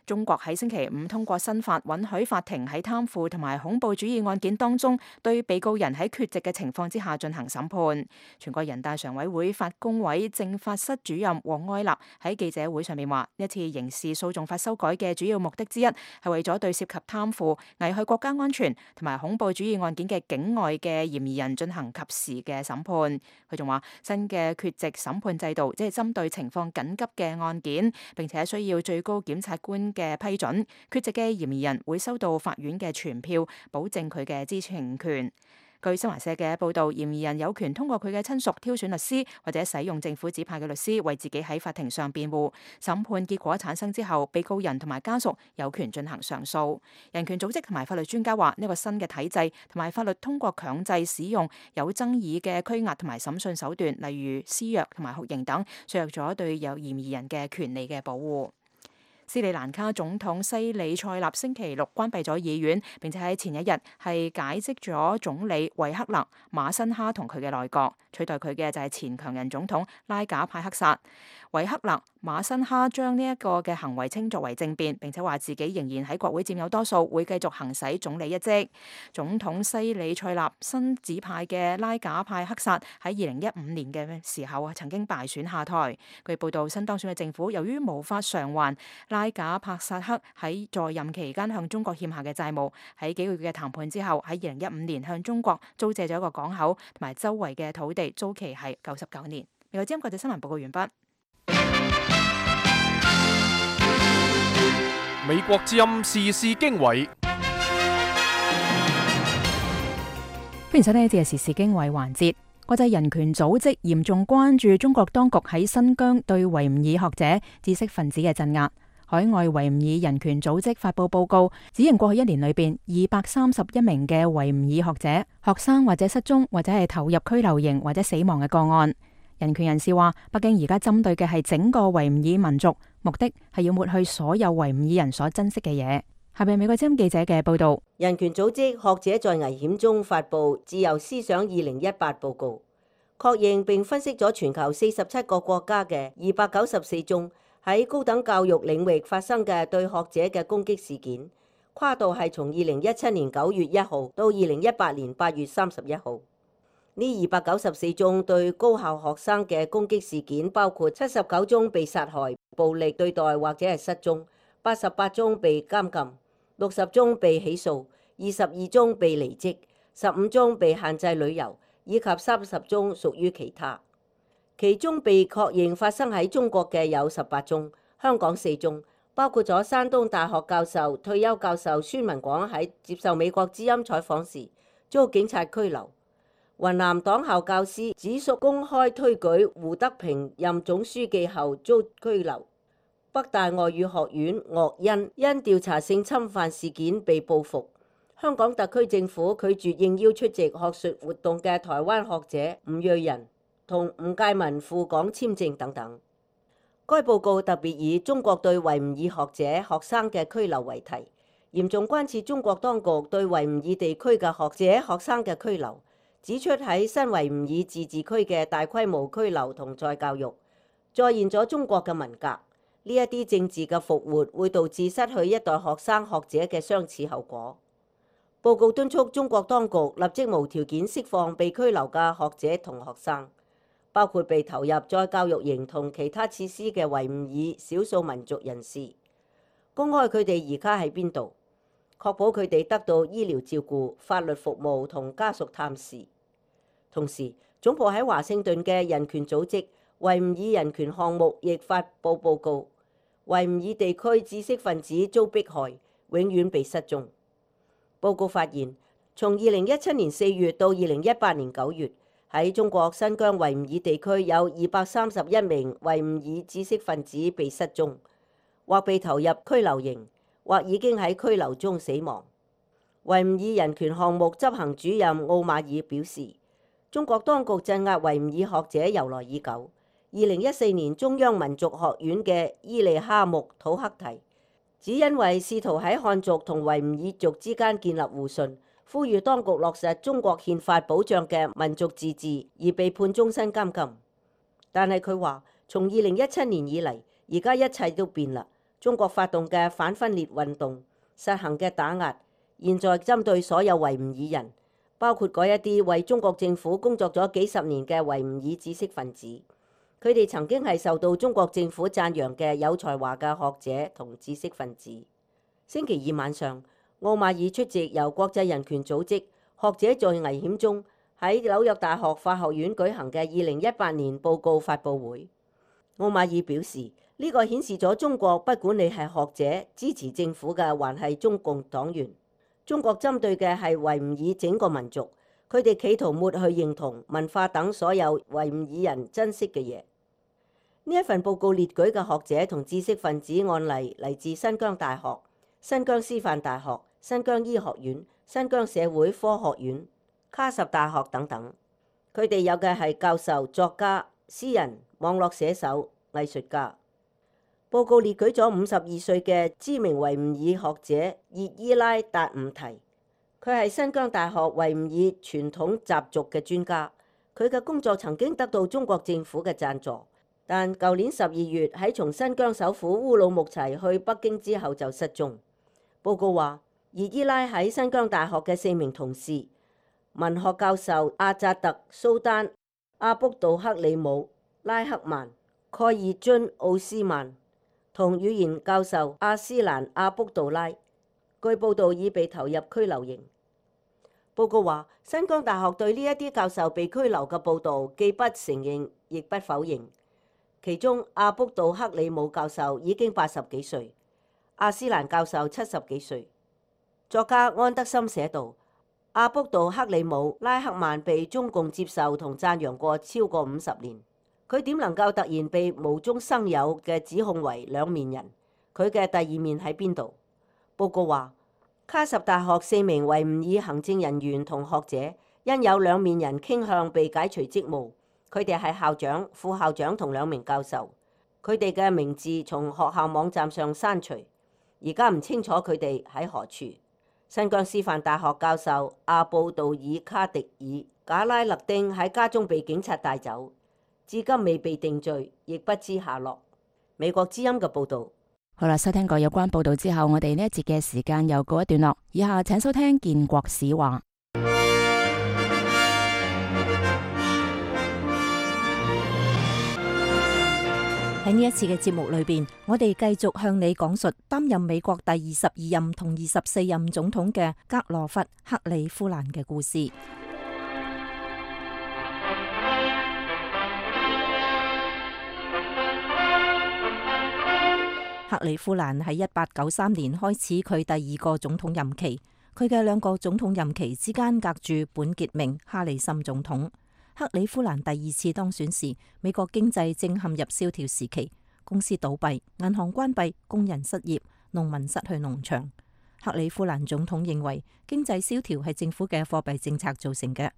中國喺星期五通過新法，允許法庭喺貪腐同埋恐怖主義案件當中，對被告人喺缺席嘅情況之下進行審判。全國人大常委會法工委政法室主任王愛立喺記者會上面話，一次刑事訴訟法修改嘅主要目的之一係為咗對涉及貪腐、危害國家安全同埋恐怖主義案件嘅境外嘅嫌疑人進行及時嘅審判。佢仲話，新嘅缺席審判制度即係針對情況緊急嘅案件，並且需要最高檢察官嘅批准，缺席嘅嫌疑人會收到法院嘅傳票，保證佢嘅知情權。據新華社嘅報導，嫌疑人有權通過佢嘅親屬挑選律師，或者使用政府指派嘅律師為自己喺法庭上辯護。審判結果產生之後，被告人同埋家屬有權進行上訴。人權組織同埋法律專家話，呢個新嘅體制同埋法律通過強制使用有爭議嘅拘押同埋審訊手段，例如施虐同埋酷刑等，削弱咗對有嫌疑人嘅權利嘅保護。斯里蘭卡總統西里塞納星期六關閉咗議院，並且喺前一日係解職咗總理維克勒馬辛哈同佢嘅內閣，取代佢嘅就係前強人總統拉賈派克薩。維克勒馬辛哈將呢一個嘅行為稱作為政變，並且話自己仍然喺國會佔有多數，會繼續行使總理一職。總統西里塞納新指派嘅拉賈派克薩喺二零一五年嘅時候曾經敗選下台。據報道，新當選嘅政府由於無法償還拉賈帕薩克喺在，在任期間向中國欠下嘅債務，喺幾個月嘅談判之後，喺二零一五年向中國租借咗一個港口同埋周圍嘅土地，租期係九十九年。美國之音國際新聞報告完畢。美國之音時事經緯，歡迎收聽呢節嘅時事經緯環節。國際人權組織嚴重關注中國當局喺新疆對維吾爾學者、知識分子嘅鎮壓。海外維吾爾人權組織發布報告，指認過去一年裏邊二百三十一名嘅維吾爾學者、學生或者失蹤，或者係投入拘留營或者死亡嘅個案。人權人士話，北京而家針對嘅係整個維吾爾民族，目的係要抹去所有維吾爾人所珍惜嘅嘢。下邊美國之音記者嘅報道。人權組織學者在危險中發布《自由思想二零一八》報告，確認並分析咗全球四十七個國家嘅二百九十四宗喺高等教育領域發生嘅對學者嘅攻擊事件，跨度係從二零一七年九月一號到二零一八年八月三十一號。呢二百九十四宗對高校學生嘅攻擊事件，包括七十九宗被殺害、暴力對待或者係失蹤，八十八宗被監禁，六十宗被起訴，二十二宗被離職，十五宗被限制旅遊，以及三十宗屬於其他。其中被確認發生喺中國嘅有十八宗，香港四宗，包括咗山東大學教授、退休教授孫文廣喺接受美國之音採訪時遭警察拘留。雲南黨校教師子淑公開推舉胡德平任總書記後遭拘留。北大外語學院岳恩因調查性侵犯事件被報復。香港特區政府拒絕應邀出席學術活動嘅台灣學者吳瑞仁同吳介民赴港簽證等等。該報告特別以中國對維吾爾學者、學生嘅拘留為題，嚴重關切中國當局對維吾爾地區嘅學者、學生嘅拘留。指出喺新維吾爾自治區嘅大規模拘留同再教育，再現咗中國嘅文革。呢一啲政治嘅復活會導致失去一代學生學者嘅相似後果。報告敦促中國當局立即無條件釋放被拘留嘅學者同學生，包括被投入再教育營同其他設施嘅維吾爾少數民族人士，公開佢哋而家喺邊度，確保佢哋得到醫療照顧、法律服務同家屬探視。同時，總部喺華盛頓嘅人權組織維吾爾人權項目亦發布報告，維吾爾地區知識分子遭迫害，永遠被失蹤。報告發現，從二零一七年四月到二零一八年九月，喺中國新疆維吾爾地區有二百三十一名維吾爾知識分子被失蹤，或被投入拘留營，或已經喺拘留中死亡。維吾爾人權項目執行主任奧馬爾表示，中國當局鎮壓維吾爾學者由來已久。二零一四年，中央民族學院嘅伊利哈木土克提，只因為試圖喺漢族同維吾爾族之間建立互信，呼籲當局落實中國憲法保障嘅民族自治，而被判終身監禁。但係佢話，從二零一七年以嚟，而家一切都變啦。中國發動嘅反分裂運動，實行嘅打壓，現在針對所有維吾爾人。包括嗰一啲為中國政府工作咗幾十年嘅維吾爾知識分子，佢哋曾經係受到中國政府讚揚嘅有才華嘅學者同知識分子。星期二晚上，奧馬爾出席由國際人權組織學者在危險中喺紐約大學法學院舉行嘅二零一八年報告發佈會。奧馬爾表示，呢個顯示咗中國不管你係學者、支持政府嘅，還係中共黨員。中國針對嘅係維吾爾整個民族，佢哋企圖抹去認同、文化等所有維吾爾人珍惜嘅嘢。呢一份報告列舉嘅學者同知識分子案例嚟自新疆大學、新疆師範大學、新疆醫學院、新疆社會科學院、卡什大學等等。佢哋有嘅係教授、作家、詩人、網絡寫手、藝術家。報告列舉咗五十二歲嘅知名維吾爾學者葉伊拉達伍提，佢係新疆大學維吾爾傳統習俗嘅專家。佢嘅工作曾經得到中國政府嘅贊助，但舊年十二月喺從新疆首府烏魯木齊去北京之後就失蹤。報告話，葉伊拉喺新疆大學嘅四名同事，文學教授阿扎特、蘇丹、阿卜杜克里姆、拉克曼、蓋爾津奧斯曼同語言教授阿斯蘭阿卜杜拉，據報道已被投入拘留營。報告話，新疆大學對呢一啲教授被拘留嘅報導既不承認，亦不否認。其中阿卜杜克里姆教授已經八十幾歲，阿斯蘭教授七十幾歲。作家安德森寫道，阿卜杜克里姆、拉克曼被中共接受同讚揚過超過五十年，佢點能夠突然被無中生有嘅指控為兩面人？佢嘅第二面喺邊度？報告話，卡什大學四名維吾爾行政人員同學者因有兩面人傾向被解除職務，佢哋係校長、副校長同兩名教授，佢哋嘅名字從學校網站上刪除，而家唔清楚佢哋喺何處。新疆師範大學教授阿布杜爾卡迪爾賈拉勒丁喺家中被警察帶走，至今未被定罪，亦不知下落。美國之音嘅報導。好啦，收聽過有關報導之後，我哋呢一節嘅時間又告一段落。以下請收聽建國史話。喺呢一次嘅節目裏邊，我哋繼續向你講述擔任美國第二十二任同二十四任總統嘅格羅弗·克里夫蘭嘅故事。克里夫蘭喺一八九三年開始佢第二個總統任期，佢嘅兩個總統任期之間隔住本傑明·哈里森總統。克里夫蘭第二次當選時，美國經濟正陷入蕭條時期，公司倒閉、銀行關閉、工人失業、農民失去農場。克里夫蘭總統認為經濟蕭條係政府嘅貨幣政策造成嘅。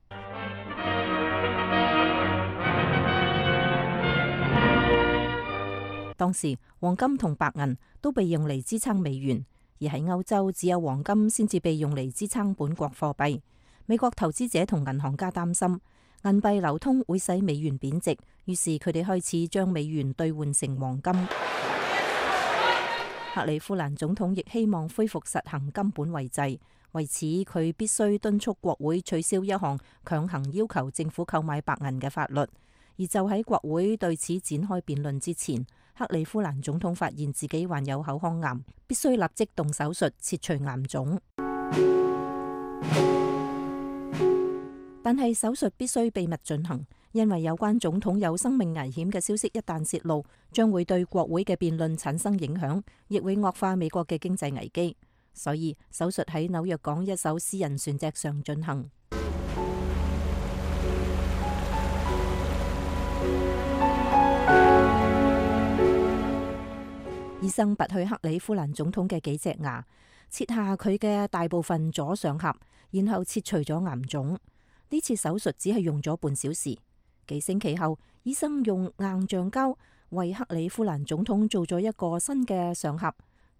當時黃金同白銀都被用嚟支撐美元，而喺歐洲只有黃金先至被用嚟支撐本國貨幣。美國投資者同銀行家擔心銀幣流通會使美元貶值，於是佢哋開始將美元兌換成黃金。克里夫蘭總統亦希望恢復實行金本位制，為此佢必須敦促國會取消一項強行要求政府購買白銀嘅法律。而就喺國會對此展開辯論之前，克里夫蘭總統發現自己患有口腔癌，必須立即動手術切除癌腫。但係手術必須秘密進行，因為有關總統有生命危險嘅消息一旦泄露，將會對國會嘅辯論產生影響，亦會惡化美國嘅經濟危機。所以手術喺紐約港一艘私人船隻上進行。醫生拔去克里夫蘭總統嘅幾隻牙，切下佢嘅大部分左上頜，然後切除咗癌腫。呢次手術只係用咗半小時。幾星期後，醫生用硬橡膠為克里夫蘭總統做咗一個新嘅上頜，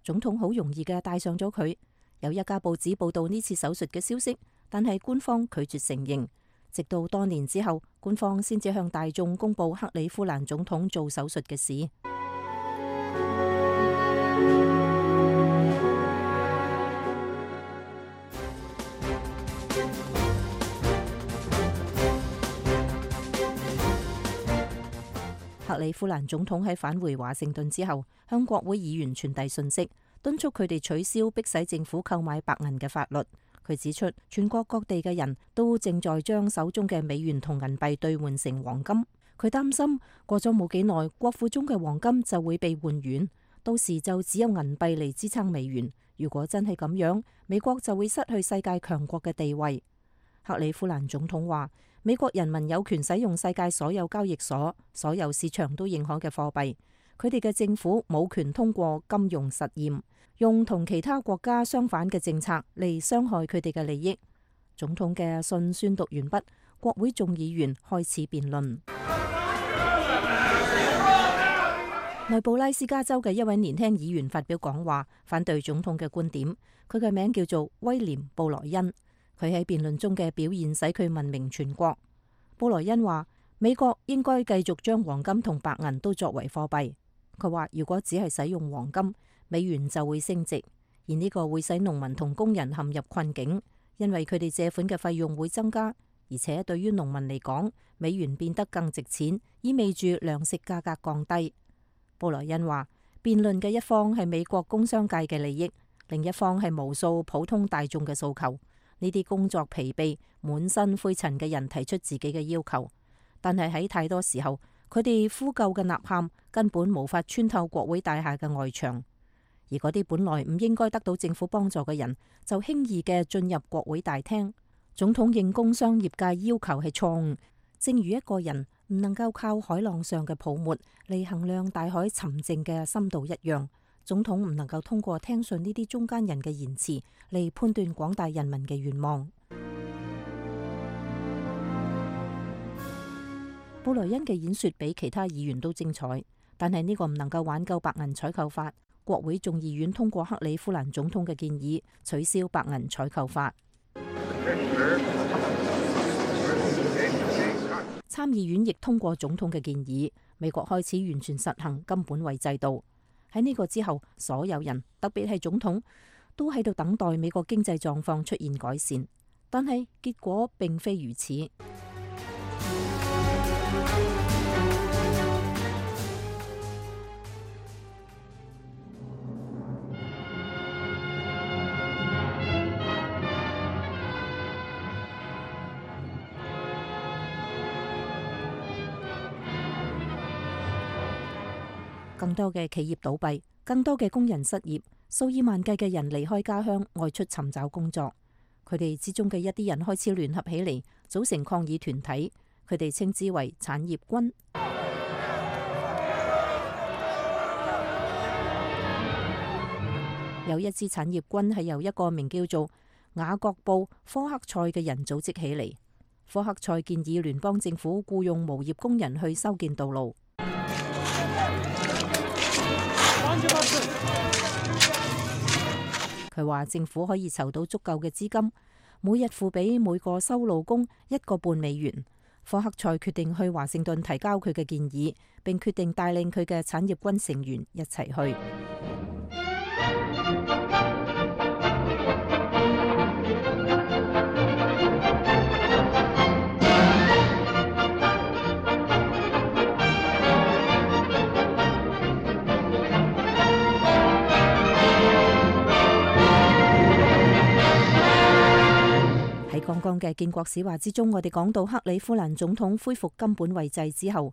總統好容易嘅戴上咗佢。有一家報紙報道呢次手術嘅消息，但係官方拒絕承認。直到多年之後，官方先至向大眾公布克里夫蘭總統做手術嘅事。克里夫蘭總統喺返回華盛頓之後，向國會議員傳遞信息，敦促佢哋取消迫使政府購買白銀嘅法律。佢指出，全國各地嘅人都正在將手中嘅美元同銀幣兌換成黃金。佢擔心過咗冇幾耐，國庫中嘅黃金就會被換軟，到時就只有銀幣嚟支撐美元。如果真係咁樣，美國就會失去世界強國嘅地位。克里夫蘭總統話，美國人民有權使用世界所有交易所、所有市場都認可嘅貨幣，佢哋嘅政府冇權通過金融實驗，用同其他國家相反嘅政策嚟傷害佢哋嘅利益。總統嘅信宣讀完畢，國會眾議員開始辯論。內布拉斯加州嘅一位年輕議員發表講話，反對總統嘅觀點。佢嘅名叫做威廉·布萊恩，佢喺辯論中嘅表現使佢聞名全國。布萊恩話，美國應該繼續將黃金同白銀都作為貨幣。佢話，如果只係使用黃金，美元就會升值，而呢個會使農民同工人陷入困境，因為佢哋借款嘅費用會增加，而且對於農民嚟講，美元變得更值錢，意味住糧食價格降低。布萊恩話，辯論嘅一方係美國工商界嘅利益，另一方係無數普通大眾嘅訴求。呢啲工作疲憊、滿身灰塵嘅人提出自己嘅要求，但係喺太多時候，佢哋呼救嘅吶喊根本無法穿透國會大廈嘅外牆，而嗰啲本來唔應該得到政府幫助嘅人，就輕易嘅進入國會大廳。總統應工商業界要求係錯誤，正如一個人唔能夠靠海浪上嘅泡沫嚟衡量大海沉靜嘅深度一樣，總統唔能夠通過聽信呢啲中間人嘅言辭嚟判斷廣大人民嘅願望。布萊恩嘅演說比其他議員都精彩，但係呢個唔能夠挽救白銀採購法。國會眾議院通過克里夫蘭總統嘅建議，取消白銀採購法。參議院亦通過總統嘅建議，美國開始完全實行金本位制度。喺呢個之後，所有人，特別係總統，都喺度等待美國經濟狀況出現改善，但係結果並非如此。更多嘅企業倒閉，更多嘅工人失業，數以萬計嘅人離開家鄉外出尋找工作。佢哋之中嘅一啲人開始聯合起嚟，組成抗議團體，佢哋稱之為產業軍。有一支產業軍係由一個名叫做雅各布·科克塞嘅人組織起嚟。科克塞建議聯邦政府僱用無業工人去修建道路。佢話政府可以籌到足夠嘅資金，每日付俾每個修路工一個半美元。科克塞決定去華盛頓提交佢嘅建議，並決定帶領佢嘅產業軍成員一齊去。喺剛剛嘅建國史話之中，我哋講到克里夫蘭總統恢復金本位制之後，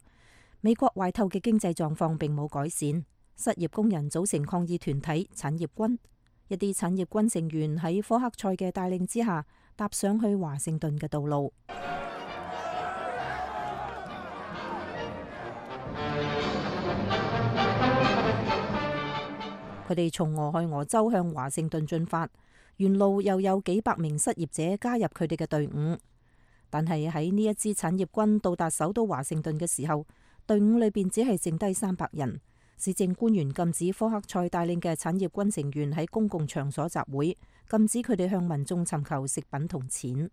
美國壞透嘅經濟狀況並冇改善，失業工人組成抗議團體產業軍，一啲產業軍成員喺科克塞嘅帶領之下，踏上去華盛頓嘅道路。佢哋從俄亥俄州向華盛頓進發。沿路又有幾百名失業者加入佢哋嘅隊伍，但係喺呢一支產業軍到達首都華盛頓嘅時候，隊伍裏邊只係剩低三百人。市政官員禁止科克塞帶領嘅產業軍成員喺公共場所集會，禁止佢哋向民眾尋求食品同錢。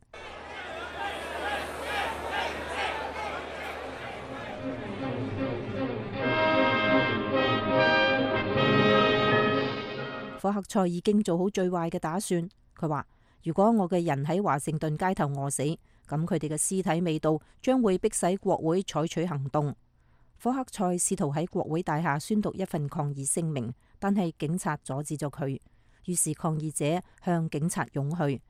科克塞已經做好最壞嘅打算。佢話：如果我嘅人喺華盛頓街頭餓死，咁佢哋嘅屍體味道將會迫使國會採取行動。科克塞試圖喺國會大廈宣讀一份抗議聲明，但係警察阻止咗佢。於是抗議者向警察湧去。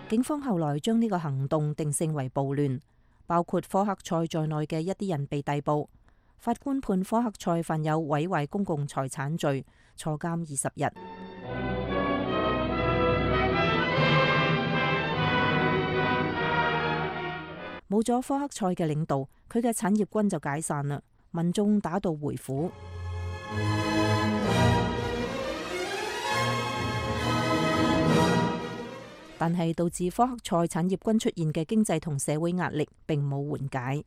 警方後來將呢個行動定性為暴亂，包括科克塞在內嘅一啲人被逮捕。法官判科克塞犯有毀壞公共財產罪，坐監二十日。冇咗科克塞嘅領導，佢嘅產業軍就解散啦，民眾打道回府。但係導致科克塞產業軍出現嘅經濟同社會壓力並冇緩解。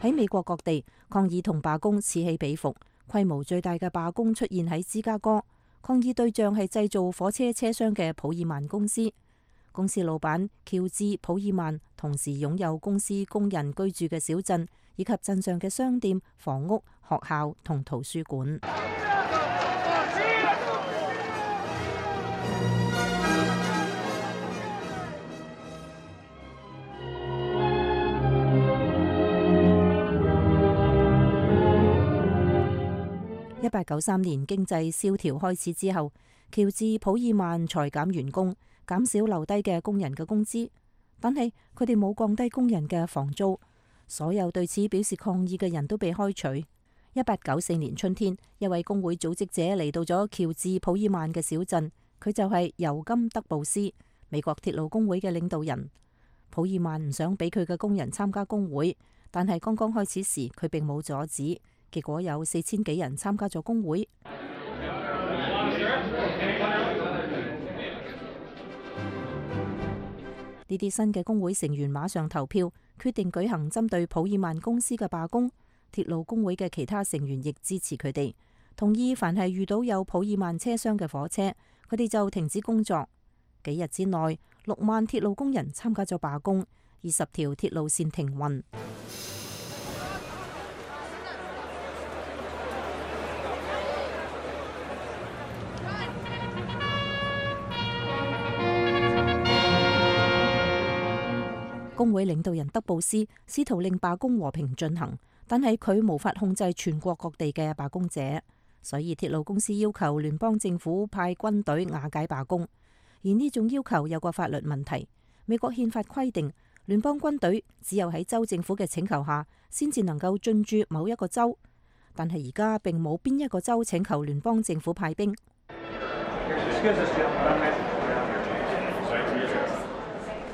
喺美國各地，抗議同罷工此起彼伏，規模最大嘅罷工出現喺芝加哥，抗議對象係製造火車車廂嘅普爾曼公司。公司老闆喬治普爾曼同時擁有公司工人居住嘅小鎮，以及鎮上嘅商店、房屋、學校同圖書館。一八九三年經濟蕭條開始之後，喬治普爾曼裁減員工，減少留低嘅工人嘅工資，但係佢哋冇降低工人嘅房租。所有對此表示抗議嘅人都被開除。一八九四年春天，一位工會組織者嚟到咗喬治普爾曼嘅小鎮，佢就係尤金德布斯，美國鐵路工會嘅領導人。普爾曼唔想俾佢嘅工人參加工會，但係剛剛開始時佢並冇阻止，結果有四千幾人參加咗工會。呢啲新嘅工會成員馬上投票，決定舉行針對普爾曼公司嘅罷工。鐵路工會嘅其他成員亦支持佢哋，同意凡係遇到有普爾曼車廂嘅火車，佢哋就停止工作。幾日之內，六萬鐵路工人參加咗罷工，二十條鐵路線停運。工會領導人德布斯試圖令罷工和平進行，但係佢無法控制全國各地嘅罷工者，所以鐵路公司要求聯邦政府派軍隊瓦解罷工。而呢種要求有個法律問題，美國憲法規定聯邦軍隊只有喺州政府嘅請求下，先至能夠進駐某一個州，但係而家並冇邊一個州請求聯邦政府派兵。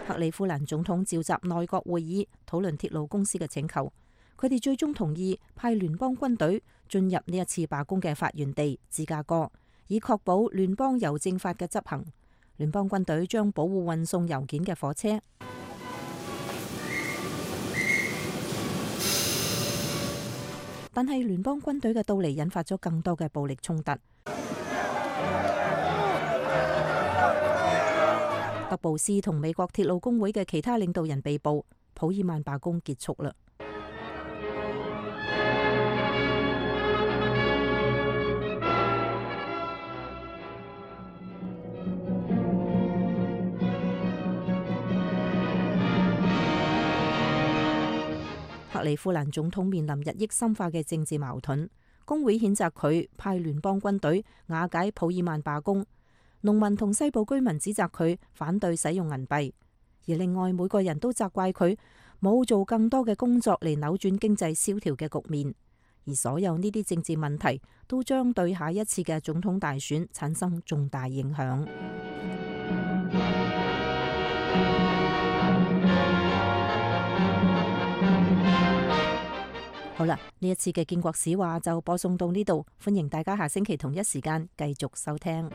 克里夫蘭總統召集內閣會議討論鐵路公司嘅請求，佢哋最終同意派聯邦軍隊進入呢一次罷工嘅發源地芝加哥，以確保聯邦郵政法嘅執行。聯邦軍隊將保護運送郵件嘅火車，但係聯邦軍隊嘅到嚟引發咗更多嘅暴力衝突。德布斯同美國鐵路工會嘅其他領導人被捕，普爾曼罷工結束啦。克里夫蘭總統面臨日益深化嘅政治矛盾，工會譴責佢派聯邦軍隊瓦解普爾曼罷工。農民同西部居民指責佢反對使用銀幣，而另外每個人都責怪佢冇做更多嘅工作嚟扭轉經濟蕭條嘅局面，而所有呢啲政治問題都將對下一次嘅總統大選產生重大影響。好啦，呢一次嘅建國史話就播送到呢度，歡迎大家下星期同一時間繼續收聽。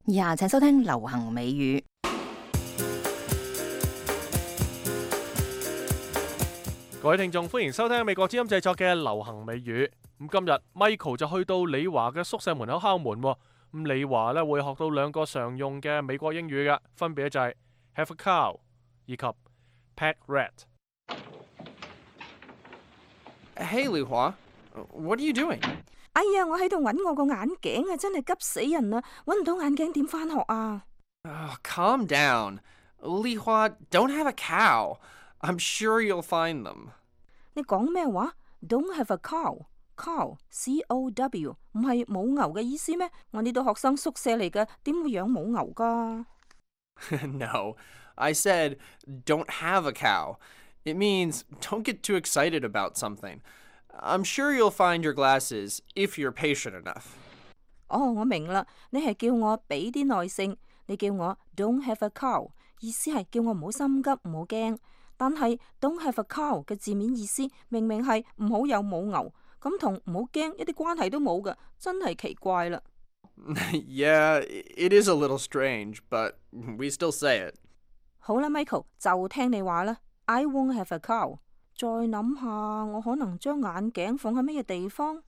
以下請收聽流行美語。各位聽眾，歡迎收聽美國之音製作嘅流行美語。咁今日 Michael 就去到李華嘅宿舍門口敲門。咁李華咧會學到兩個常用嘅美國英語嘅，分別就係 have a cow 以及 pet rat。Hey 李華 ，What are you doing？ 哎呀，我喺度揾我個眼鏡啊，真係急死人啦！揾唔到眼鏡點返學啊？ Oh, calm down. 李華 don't have a cow. I'm sure you'll find them. 你講咩話 ？Don't have a cow。Cow, C O W 唔係母牛嘅意思咩？我呢度學生宿舍嚟嘅，點會養母牛噶？ No, I said don't have a cow. It means don't get too excited about something. I'm sure you'll find your glasses if you're patient enough. 哦，我明啦，你係叫我俾啲耐性，你叫我 don't have a cow， 意思係叫我唔好心急，唔好驚。但係 don't have a cow 嘅字面意思明明係唔好有母牛，咁同唔好驚一啲關係都冇㗎，真係奇怪啦。Yeah, it is a little strange, but we still say it. 好啦 ，Michael 就聽你話啦。I won't have a cow。再諗下，我可能將眼鏡放喺乜嘢地方？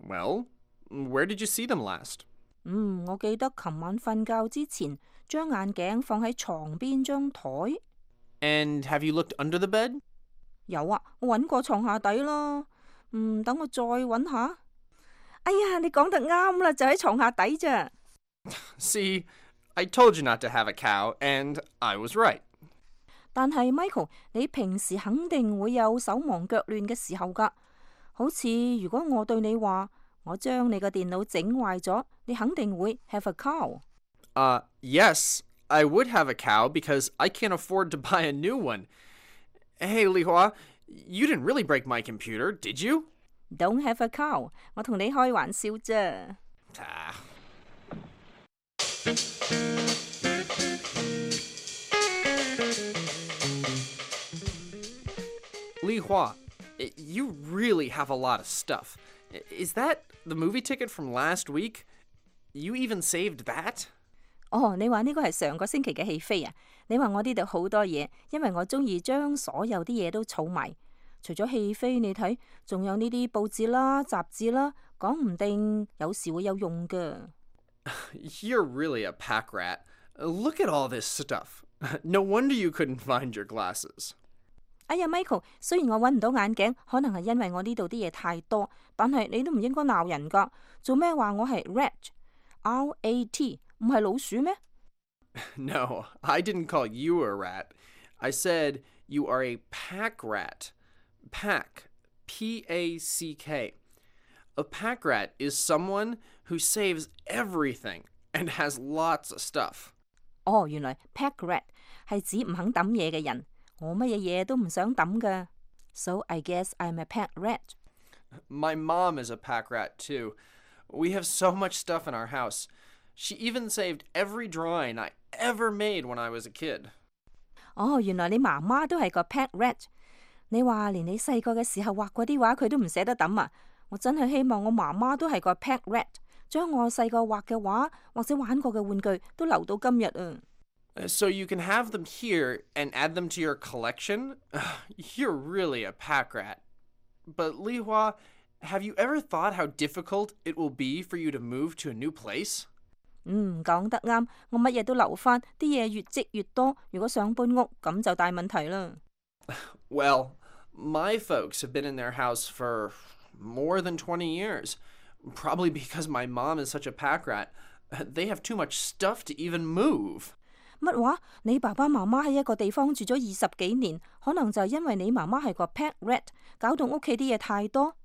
Well, where did you see them last? 嗯，我記得琴晚瞓覺之前，將眼鏡放喺床邊張台。And have you looked under the bed? 有啊，我揾過床下底啦。嗯，等我再揾下。哎呀，你講得啱啦，就喺床下底咋。See, I told you not to have a cow, and I was right. 但係 Michael， 你平時肯定會有手忙腳亂嘅時候㗎。好似如果我對你話，我將你個電腦整壞咗，你肯定會 have a cow。 Uh, yes, I would have a cow because I can't afford to buy a new one. Hey, Li Hua, you didn't really break my computer, did you? Don't have a cow， 我同你開玩笑啫。Ah. Li Hua, you really have a lot of stuff. Is that the movie ticket from last week? You even saved that? 哦，你話呢個係上個星期嘅戲飛啊？你話我呢度好多嘢，因為我中意將所有啲嘢都儲埋。除咗戲飛，你睇仲有呢啲報紙啦、雜誌啦，講唔定有時會有用㗎。You're really a pack rat. Look at all this stuff. No wonder you couldn't find your glasses. 哎呀 ，Michael， 雖然我揾唔到眼鏡，可能係因為我呢度啲嘢太多，但係你都唔應該鬧人㗎。做咩話我係 rat？R A T 唔係老鼠咩？ No, I didn't call you a rat. I said you are a pack rat. Pack, P A C K. A pack rat is someone who saves everything and has lots of stuff. 哦，原來 pack rat 係指唔肯抌嘢嘅人。我乜嘢嘢都唔想抌㗎。So I guess I'm a pack rat. My mom is a pack rat too. We have so much stuff in our house. She even saved every drawing I ever made when I was a kid. 哦，原來你媽媽都係個 pack rat。你話連你細個嘅時候畫嗰啲畫佢都唔捨得抌啊！我真係希望我媽媽都係個 pack rat， 將我細個畫嘅畫或者玩過嘅玩具都留到今日啊！ So you can have them here and add them to your collection? You're really a pack rat. But Li Hua, have you ever thought how difficult it will be for you to move to a new place? 嗯，講得啱，我乜嘢都留返，啲嘢越積越多，如果想搬屋咁就大問題啦。Well, my folks have been in their house for more than twenty years. Probably because my mom is such a pack rat. They have too much stuff to even move. 乜話？你爸爸媽媽喺一個地方住咗二十幾年，可能就係因為你媽媽係個 pack rat， 搞到屋企啲嘢太多。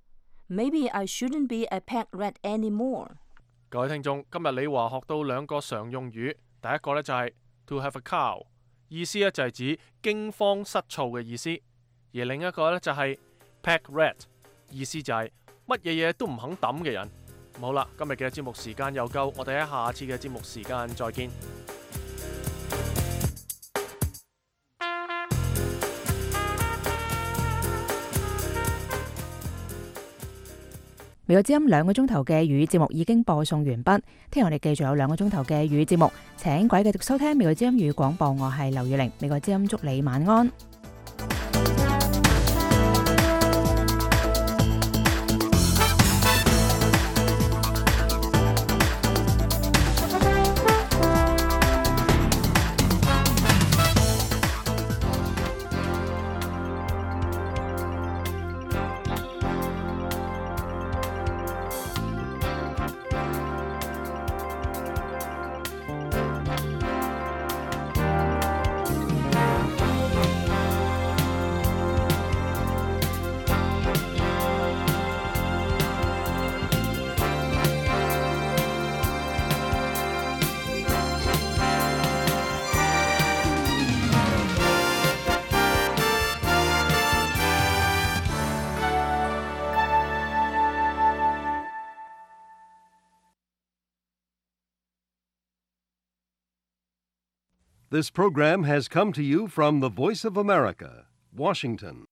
Maybe I shouldn't be a pack rat anymore。各位聽眾，今日李華學到兩個常用語，第一個呢就係 to have a cow， 意思呢就係指驚慌失措嘅意思，而另一個呢就係 pack rat， 意思就係乜嘢嘢都唔肯抌嘅人。好啦，今日嘅節目時間又夠，我哋喺下次嘅節目時間再見。美國之音兩個鐘頭嘅粵語節目已經播送完畢，聽日我哋繼續有兩個鐘頭嘅粵語節目，請各位繼續收聽美國之音粵語廣播，我係劉雨玲，美國之音祝你晚安。This program has come to you from the Voice of America, Washington.